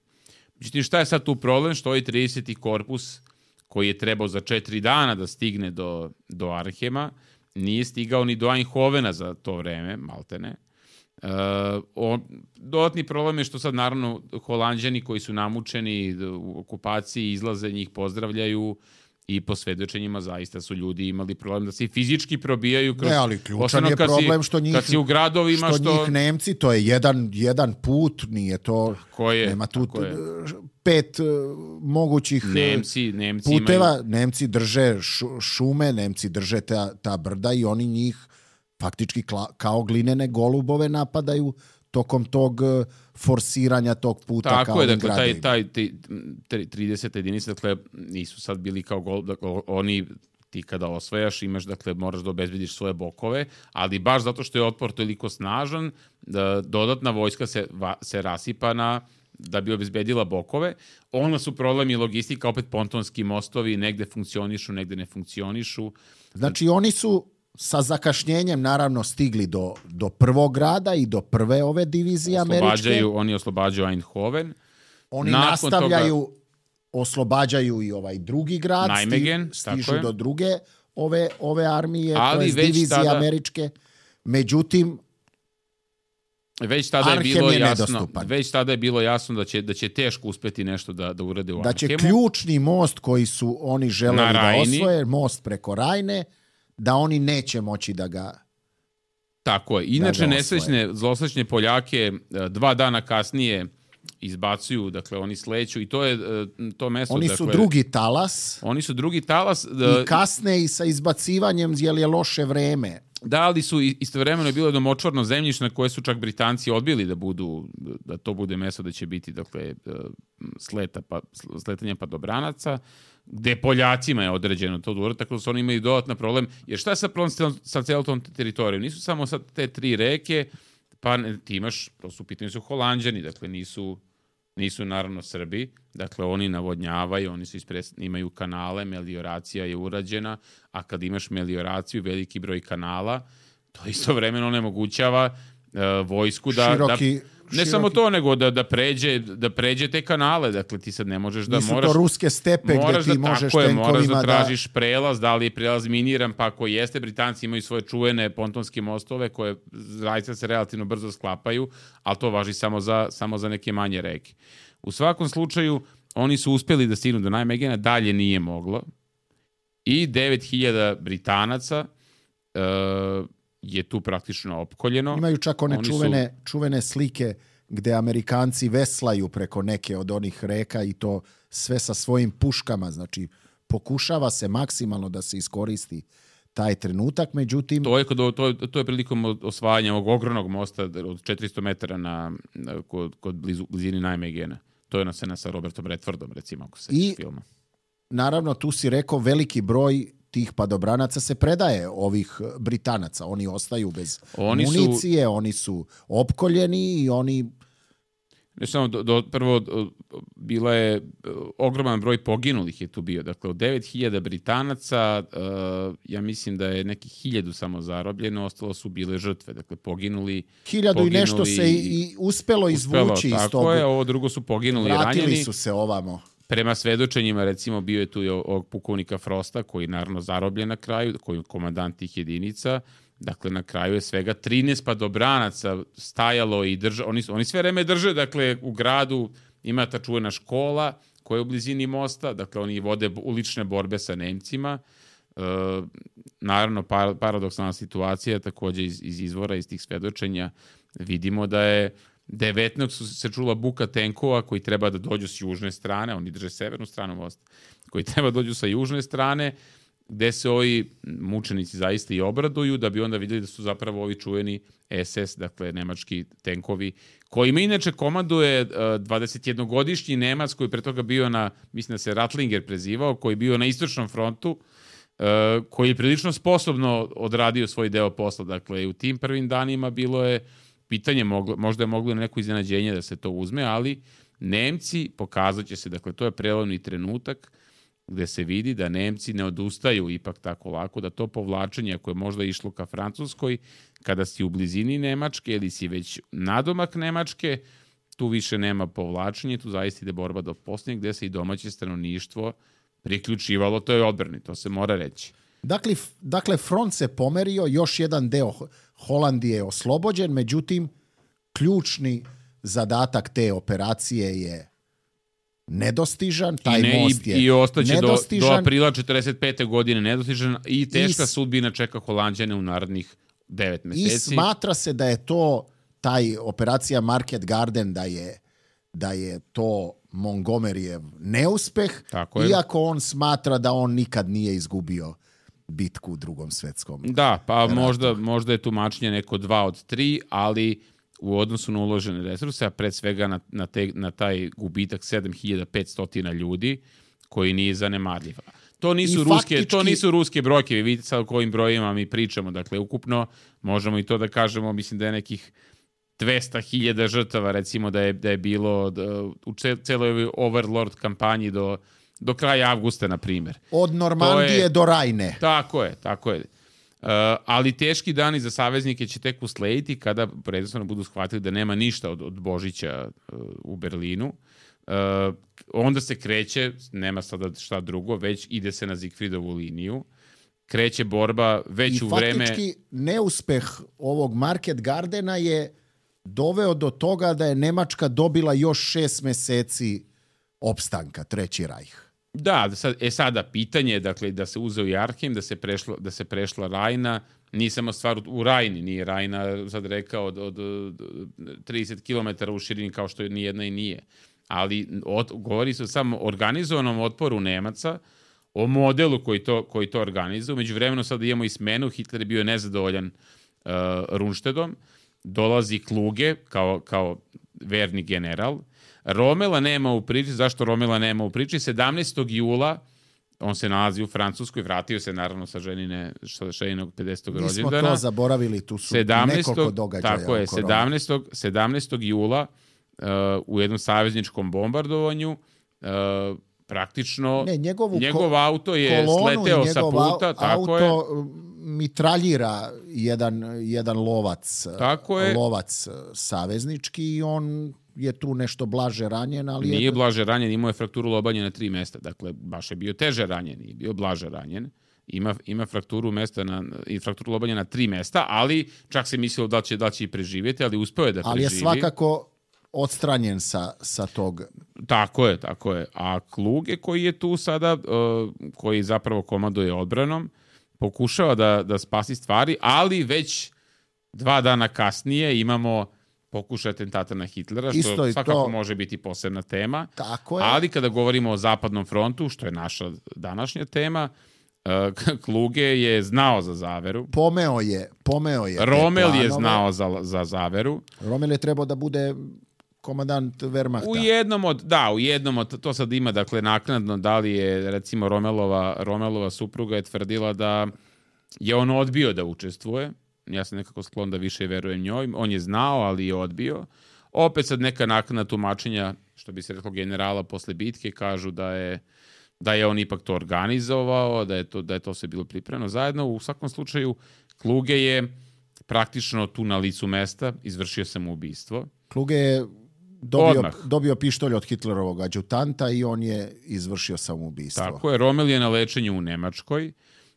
Međutim, šta je sad tu problem? Što je 30. korpus koji je trebao za 4 dana da stigne do Arnhema, nije stigao ni do Eindhovena za to vreme, maltene. Dodatni problem je što sad naravno Holanđani koji su namučeni u okupaciji izlaze, njih pozdravljaju i po svedočenjima zaista su ljudi imali problem da se i fizički probijaju kroz, ali ključan je problem što njih, kad si u gradovima njih Nemci, to je jedan put, nije to, nema tu 5 mogućih Nemci puteva, imaju... Nemci drže šume, Nemci drže ta brda i oni njih faktički kao glinene golubove napadaju tokom tog forsiranja tog puta. Tako je, dakle, taj 30 jedinica, dakle, nisu sad bili kao oni, ti kada osvajaš, imaš, dakle, moraš da obezbediš svoje bokove, ali baš zato što je otpor toliko snažan, dodatna vojska se rasipa da bi obezbedila bokove. Onda su problemi logistika, opet pontonski mostovi, negde funkcionišu, negde ne funkcionišu. Znači, oni su sa zakašnjenjem naravno stigli do prvog grada i do prve ove divizije američke. Oni oslobađaju Eindhoven. Oni oslobađaju i ovaj drugi grad. Nijmegen, stižu do druge ove armije, to je divizije američke. Međutim, već tada je bilo jasno da će teško uspeti nešto da urade u Arnhemu. Da će ključni most koji su oni želeli da osvoje, most preko Rajne, da oni neće moći da ga... Tako je. Inače, zlosrećne Poljake 2 dana kasnije izbacuju, dakle, oni sleću i to je to mesto... Oni su drugi talas. Oni su drugi talas. I kasne i sa izbacivanjem, jer je loše vreme. Da, ali su istovremeno bilo jedno močvarno zemljište na koje su čak Britanci odbili da to bude mesto da će biti, dakle, sletanje padobranaca, gde Poljacima je određeno to dvore, tako da su oni imali dodatna problem. Jer šta je sad problem sa celom tom teritorijom? Nisu samo sad te 3 reke, pa ti imaš, to su pitanje su Holanđani, dakle nisu naravno Srbi, dakle oni navodnjavaju, oni imaju kanale, melioracija je urađena, a kad imaš melioraciju, veliki broj kanala, to istovremeno onemogućava vojsku ne samo to, nego da pređe te kanale, dakle ti sad ne možeš da nisu to ruske stepe gde ti možeš tenkovima moraš da tražiš prelaz, da li je prelaz miniran, pa ako jeste, Britanci imaju svoje čuvene pontonske mostove koje zaista se relativno brzo sklapaju, ali to važi samo za neke manje reke. U svakom slučaju, oni su uspeli da stignu do Nijmegena, dalje nije moglo i 9000 Britanaca je tu praktično opkoljeno. Imaju čak one čuvene slike gde Amerikanci veslaju preko neke od onih reka i to sve sa svojim puškama. Znači, pokušava se maksimalno da se iskoristi taj trenutak, međutim... To je prilikom osvajanja ovog ogromnog mosta od 400 metara kod blizini Nijmegena. To je ona scena sa Robertom Redfordom, recimo, ako se filma. Naravno, tu si rekao, veliki broj tih padobranaca se predaje ovih Britanaca. Oni ostaju bez municije, oni su opkoljeni i oni... Ne samo, prvo bila je ogroman broj poginulih je tu bio. Dakle, od 9000 Britanaca, ja mislim da je nekih 1000 samo zarobljeno, ostalo su bile žrtve. Dakle, poginuli... 1000 i nešto se i uspelo izvući iz toga. Tako je, ovo drugo su poginuli i ranjeni. Vratili su se ovamo. Prema svedočenjima, recimo, bio je tu i ovog pukovnika Frosta, koji je naravno zarobljen na kraju, koji je komandant tih jedinica. Dakle, na kraju je svega 13 padobranaca stajalo i držalo. Oni sve vreme drže, dakle, u gradu ima ta čuvena škola koja je u blizini mosta. Dakle, oni vode ulične borbe sa Nemcima. Naravno, paradoksalna situacija, također iz izvora, iz tih svedočenja, vidimo da je 19 se čula buka tenkova koji treba da dođu s južne strane, oni drže severnu stranu mosta, koji treba da dođu sa južne strane, gde se ovi mučenici zaista i obraduju, da bi onda vidjeli da su zapravo ovi čuveni SS, dakle nemački tenkovi, kojima inače komanduje 21-godišnji Nemac koji je pre toga bio mislim da se Ratlinger prezivao, koji je bio na istočnom frontu, koji je prilično sposobno odradio svoj deo posla. Dakle, u tim prvim danima bilo je pitanje, možda je moglo neko iznenađenje da se to uzme, ali Nemci, pokazat će se, dakle, to je prelomni trenutak gde se vidi da Nemci ne odustaju ipak tako lako, da to povlačenje koje je možda išlo ka Francuskoj, kada si u blizini Nemačke ili si već nadomak Nemačke, tu više nema povlačenja, tu zaista ide borba do posljednjeg, gde se i domaće stanovništvo priključivalo toj odbrani, to se mora reći. Dakle, front se pomerio, još jedan deo Holandije je oslobođen, međutim, ključni zadatak te operacije je nedostižan, taj most je i ostaće nedostižan. do aprila 45. godine nedostižan i teška sudbina čeka Holanđane u narednih 9 meseci. I smatra se da je to taj operacija Market Garden, da je to Montgomeryjev neuspeh, iako on smatra da on nikad nije izgubio bitku u Drugom svetskom ratu. Da, pa možda je tumačenje neko 2 od 3, ali u odnosu na uložene resurse, a pred svega na taj gubitak 7500 ljudi, koji nije zanemarljiv. To nisu ruske brojke, vi vidite sad o kojim brojima mi pričamo, dakle, ukupno možemo i to da kažemo, mislim da je nekih 200.000 žrtava, recimo da je bilo u celoj ovoj Overlord kampanji do kraja avgusta, na primjer. Od Normandije do Rajne. Tako je. Ali teški dani za saveznike će tek uslediti kada predstavno budu shvatili da nema ništa od Božića u Berlinu. Onda se kreće, nema sada šta drugo, već ide se na Zigfridovu liniju. Kreće borba već u vreme... I faktički neuspeh ovog Market Gardena je doveo do toga da je Nemačka dobila još 6 meseci opstanka, Treći rajh. Da, sada pitanje je, dakle, da se uzeo i Arnhem, da se prešla Rajna, nije samo stvar u Rajni, nije Rajna, sad rekao, od 30 km u širini kao što ni jedna i nije. Ali govori se o samo organizovanom otporu Nemaca, o modelu koji to organizuje. Međuvremeno sad imamo i smenu, Hitler je bio nezadovoljan Rundstedtom, dolazi Kluge kao verni general. Romela nema u priči. Zašto Romela nema u priči? 17. jula, on se nalazi u Francuskoj, vratio se naravno sa ženinog 50. rođendana. Mi smo to zaboravili, tu su nekoliko događaja. Tako je, 17. jula u jednom savezničkom bombardovanju praktično njegov auto je sleteo sa puta. Tako je. Mitraljira jedan lovac saveznički i on je tu nešto blaže ranjen, ali... Nije blaže ranjen, imao je frakturu lobanje na 3 mesta, dakle, baš je bio teže ranjen, nije bio blaže ranjen. Ima frakturu lobanja na 3 mesta, ali čak se mislilo da će i preživjeti, ali uspeo je da preživi. Ali je svakako odstranjen sa tog... Tako je. A Kluge koji je tu sada, koji zapravo komanduje odbranom, pokušava da spasi stvari, ali već 2 dana kasnije imamo pokušaj atentata na Hitlera, što svakako može biti posebna tema. Tako je. Ali kada govorimo o Zapadnom frontu, što je naša današnja tema, Kluge je znao za zaveru. Pomeo je Rommel je znao za zaveru. Rommel je trebao da bude komandant Wehrmachta. U jednom od, to sad ima, dakle, naknadno, da li je, recimo, Rommelova supruga je tvrdila da je on odbio da učestvuje. Ja sam nekako sklon da više verujem njoj. On je znao, ali je odbio. Opet sad neka naknadna tumačenja, što bi se reklo generala posle bitke, kažu da je on ipak to organizovao, da je to sve bilo pripremno zajedno. U svakom slučaju, Kluge je praktično tu na licu mesta izvršio samoubistvo. Kluge je dobio pištolj od Hitlerovog adjutanta i on je izvršio samoubistvo. Tako je, Rommel je na lečenju u Nemačkoj.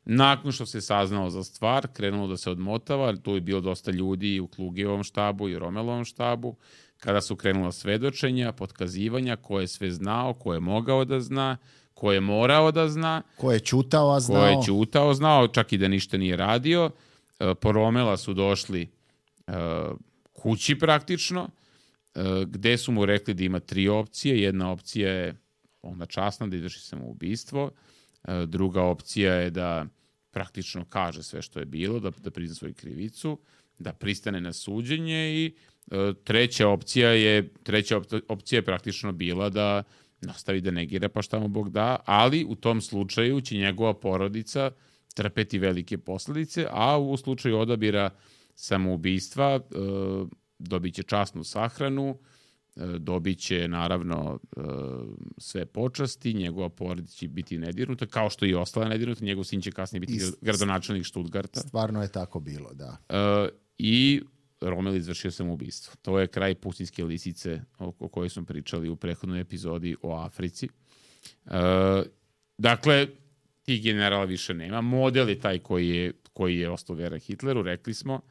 Nakon što se saznao za stvar, krenulo da se odmotava, tu je bilo dosta ljudi u Klugevom štabu i Rommelovom štabu, kada su krenula svedočenja, potkazivanja, ko je sve znao, ko je mogao da zna, ko je morao da zna, ko je ćutao, znao, čak i da ništa nije radio. Po Rommela su došli kući praktično, gde su mu rekli da ima 3 opcije. Jedna opcija je onda časna, da izvrši samoubistvo. Druga opcija je da praktično kaže sve što je bilo, da prizna svoju krivicu, da pristane na suđenje i treća opcija je praktično bila da nastavi da negira pa šta mu Bog da, ali u tom slučaju će njegova porodica trpeti velike posledice, a u slučaju odabira samoubistva dobit će časnu sahranu, dobit će naravno sve počasti, njegova porodica će biti nedirnuta, kao što i ostala nedirnuta, njegov sin će kasnije biti gradonačelnik Stuttgarta. Stvarno je tako bilo, da. I Rommel izvršio samoubistvo. To je kraj pustinjske lisice o kojoj smo pričali u prethodnoj epizodi o Africi. Dakle, tih generala više nema. Model je taj koji je ostao veran Hitleru, rekli smo.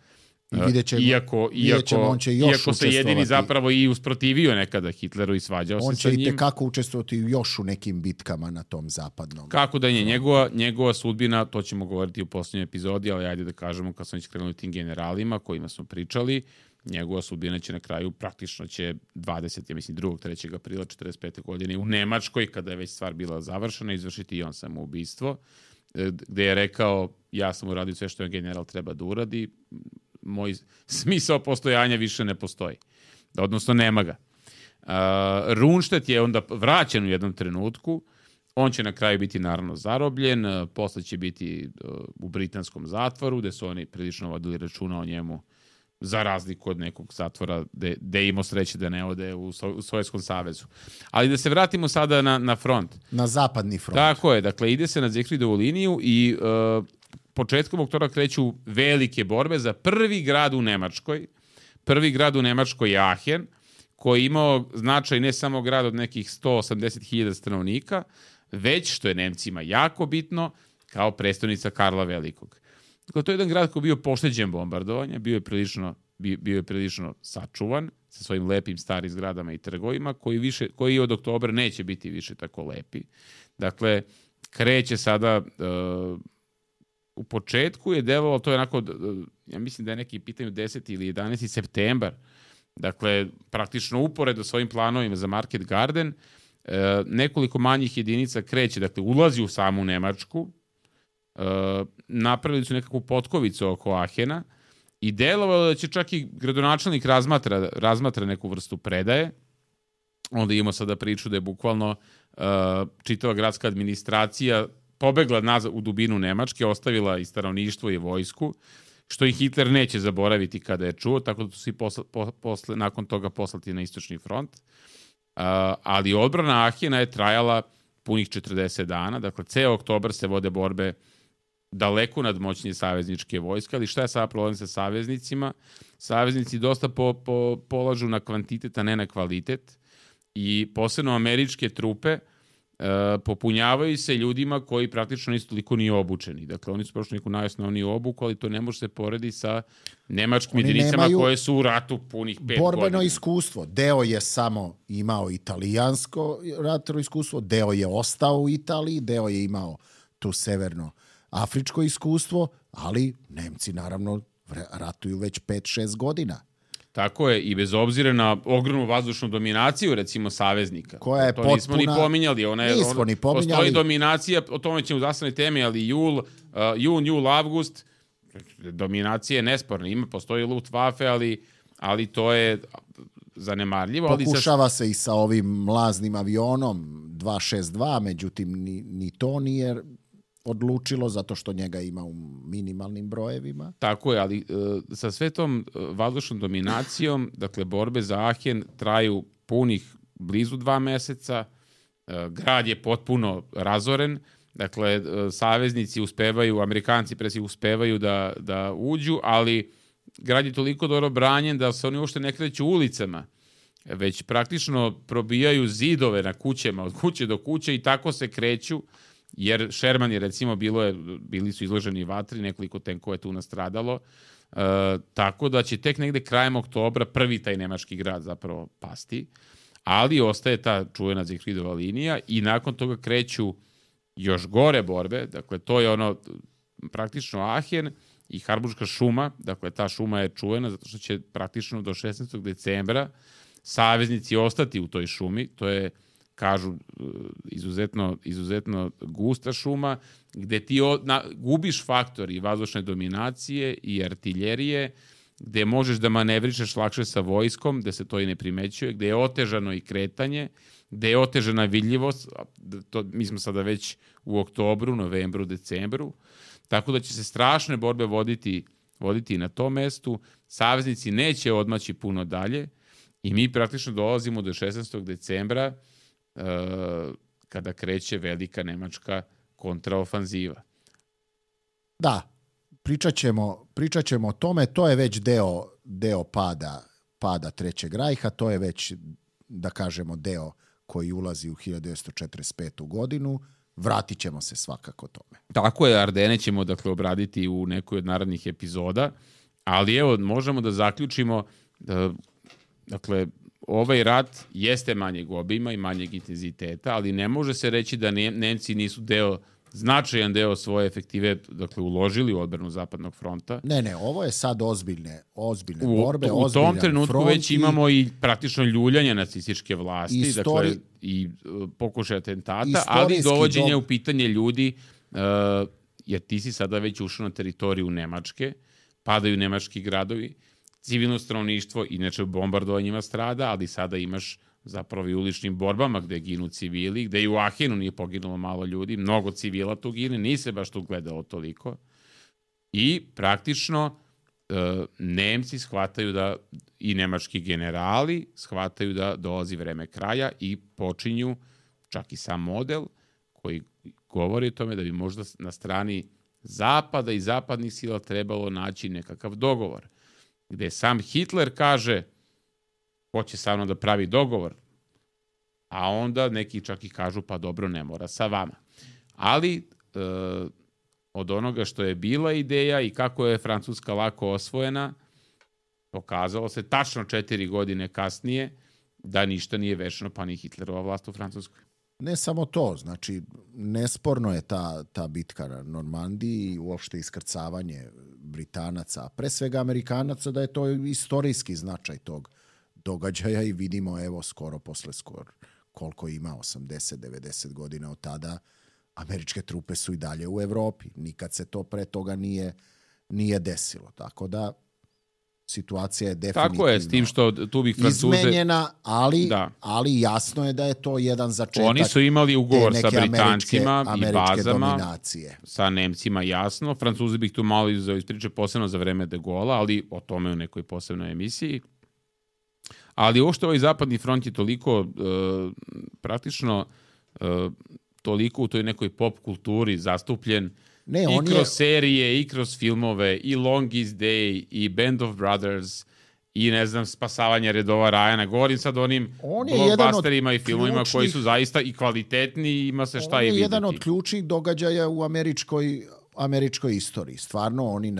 Iako se jedini zapravo i usprotivio nekada Hitleru i svađao se sa njim. On će i tekako učestvovati još u nekim bitkama na tom zapadnom. Kako da je njegova sudbina, to ćemo govoriti u posljednjoj epizodi, ali ajde da kažemo kad smo već krenuli tim generalima kojima smo pričali, njegova sudbina će na kraju praktično će 3. aprila 45. godine u Nemačkoj, kada je već stvar bila završena, izvršiti i on samoubistvo, gde je rekao, ja sam uradio sve što je general treba da uradi, moj smisao postojanja više ne postoji. Odnosno, nema ga. Rundstedt je onda vraćen u jednom trenutku. On će na kraju biti naravno zarobljen. Posle će biti u britanskom zatvoru, gde su oni prilično vodili računa o njemu, za razliku od nekog zatvora gde je imao sreće da ne ode u Sovjetskom savezu. Ali da se vratimo sada na front. Na zapadni front. Tako je. Dakle, ide se na Ziegfriedovu liniju i početkom oktobra kreću velike borbe za prvi grad u Nemačkoj. Prvi grad u Nemačkoj je Aachen, koji je imao značaj ne samo grad od nekih 180.000 stanovnika, već, što je Nemcima jako bitno, kao prestonica Karla Velikog. Dakle, to je jedan grad koji je bio pošteđen bombardovanja, bio je prilično sačuvan sa svojim lepim starim zgradama i trgovima, koji od oktobra neće biti više tako lepi. Dakle, kreće sada... U početku je delovalo, to je onako, ja mislim da je neki pitanju 10. ili 11. septembar, dakle, praktično uporedo s ovim planovima za Market Garden, nekoliko manjih jedinica kreće, dakle, ulazi u samu Nemačku, napravili su nekakvu potkovicu oko Ahena i delovalo da će čak i gradonačelnik razmatra neku vrstu predaje. Onda imamo sada priču da je bukvalno čitava gradska administracija pobegla nazad u dubinu Nemačke, ostavila i stanovništvo i vojsku, što i Hitler neće zaboraviti kada je čuo, tako da su svi nakon toga poslati na istočni front. Ali odbrana Ahena je trajala punih 40 dana, dakle ceo oktobar se vode borbe daleko nadmoćnije savezničke vojske, ali šta je sada problem sa saveznicima? Saveznici dosta polažu na kvantitet, a ne na kvalitet, i posebno američke trupe popunjavaju se ljudima koji praktično nisu toliko ni obučeni. Dakle, oni su prošli neku najosnovniju obuku, ali to ne može se porediti sa nemačkim jedinicama koje su u ratu punih 5 godina. Borbeno iskustvo. Deo je samo imao italijansko ratno iskustvo, deo je ostao u Italiji, deo je imao tu severno-afričko iskustvo, ali Nemci naravno ratuju već 5-6 godina. Tako je, i bez obzira na ogromnu vazdušnu dominaciju, recimo, saveznika. Koja je to potpuna... nismo ni pominjali. Nismo ni pominjali. Postoji dominacija, o tome ćemo u zastavnoj temi, ali jul, avgust, dominacija je nesporna. Postoji Luftwaffe, ali to je zanemarljivo. Pokušava se i sa ovim mlaznim avionom 262, međutim ni to nije odlučilo, zato što njega ima u minimalnim brojevima. Tako je, ali sa sve tom vazdušnom dominacijom, dakle, borbe za Aachen traju punih blizu 2 meseca, grad je potpuno razoren, dakle, saveznici uspevaju, Amerikanci presi uspevaju da uđu, ali grad je toliko dobro branjen da se oni uopšte ne kreću ulicama, već praktično probijaju zidove na kućama, od kuće do kuće, i tako se kreću, jer Sherman je, recimo, bili su izloženi vatri, nekoliko tenkova je tu nastradalo, tako da će tek negde krajem oktobra prvi taj nemački grad zapravo pasti, ali ostaje ta čuvena Ziegfriedova linija i nakon toga kreću još gore borbe, dakle, to je ono praktično Aachen i Harburška šuma, dakle, ta šuma je čuvena zato što će praktično do 16. decembra saveznici ostati u toj šumi, to je, kažu, izuzetno gusta šuma, gde ti gubiš faktor i vazdušne dominacije i artiljerije, gde možeš da manevrišeš lakše sa vojskom, gde se to i ne primećuje, gde je otežano i kretanje, gde je otežana vidljivost, mi smo sada već u oktobru, novembru, decembru, tako da će se strašne borbe voditi na tom mestu, saveznici neće odmaći puno dalje i mi praktično dolazimo do 16. decembra, kada kreće velika nemačka kontraofanziva. Da, pričat ćemo o tome, to je već deo deo pada Trećeg rajha, to je već, da kažemo, deo koji ulazi u 1945. godinu. Vratit ćemo se svakako tome. Tako je, Ardene ćemo dakle obraditi u nekoj od narednih epizoda, ali evo, možemo da zaključimo da, dakle, ovaj rat jeste manjeg obima i manjeg intenziteta, ali ne može se reći da Nemci nisu značajan deo svoje efektive, dakle, uložili u odbranu Zapadnog fronta. Ne, ovo je sad ozbiljne borbe, u tom trenutku već imamo i praktično ljuljanje nacističke vlasti, dakle, i pokušaj atentata, ali dovođenje u pitanje ljudi, jer ti si sada već ušao na teritoriju Nemačke, padaju nemački gradovi, civilno stanovništvo, inače bombardovanjima strada, ali sada imaš zapravo i uličnim borbama gde ginu civili, gde i u Ahenu nije poginulo malo ljudi, mnogo civila tu gine, nije se baš tu gledalo toliko. I praktično Nemci shvataju da, i nemački generali shvataju da dolazi vreme kraja i počinju čak i sam model koji govori o tome da bi možda na strani Zapada i zapadnih sila trebalo naći nekakav dogovor. Gde sam Hitler kaže hoće sa mnom da pravi dogovor, a onda neki čak i kažu pa dobro, ne mora sa vama. Ali od onoga što je bila ideja i kako je Francuska lako osvojena, pokazalo se tačno 4 godine kasnije da ništa nije večno, pa ni Hitlerova vlast u Francuskoj. Ne samo to, znači nesporno je ta bitka na Normandiji i uopšte iskrcavanje Britanaca, a pre svega Amerikanaca, da je to istorijski značaj tog događaja i vidimo evo skoro koliko ima, 80-90 godina od tada, američke trupe su i dalje u Evropi. Nikad se to pre toga nije desilo. Tako da situacija je definitivno tako je, s tim što tu bih Francuze izmenjena, ali jasno je da je to jedan začetak. Oni su imali ugovor sa Britancima i bazama, dominacije. Sa Nemcima jasno. Francuzi bih tu malo iz priče posebno za vreme de Gaulle'a, ali o tome u nekoj posebnoj emisiji. Ali uopšte ovaj zapadni front je toliko praktično toliko u toj nekoj pop kulturi zastupljen i kroz serije, i kroz filmove, i Longest Day, i Band of Brothers, i ne znam, Spasavanje redova Ryana. Govorim sad o onim blockbusterima i filmovima koji su zaista i kvalitetni i ima se šta i vidjeti. On je jedan od ključnih događaja u američkoj istoriji. Stvarno, oni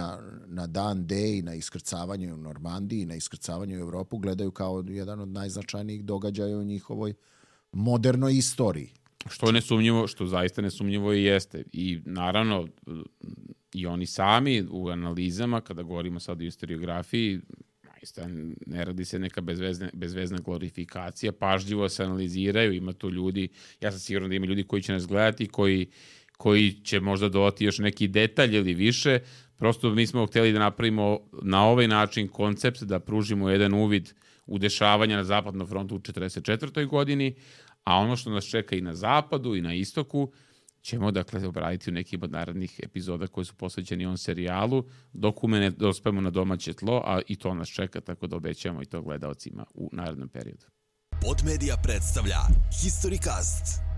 na dan D i na iskrcavanje u Normandiji i na iskrcavanje u Evropu gledaju kao jedan od najznačajnijih događaja u njihovoj modernoj istoriji. Što je nesumnjivo, što zaista nesumnjivo i jeste. I naravno, i oni sami u analizama, kada govorimo sad o historiografiji, ne radi se neka bezvezna glorifikacija, pažljivo se analiziraju, ima tu ljudi, ja sam siguran da ima ljudi koji će nas gledati, koji će možda dodati još neki detalj ili više. Prosto mi smo hteli da napravimo na ovaj način koncept, da pružimo jedan uvid u dešavanja na Zapadnom frontu u 1944. godini, a ono što nas čeka i na zapadu i na istoku ćemo dakle obraditi u nekim od narednih epizoda koji su posvećeni on serijalu, dok ne dospemo na domaće tlo, a i to nas čeka, tako da obećamo i to gledaocima u narednom periodu. Podmedia predstavlja Historycast.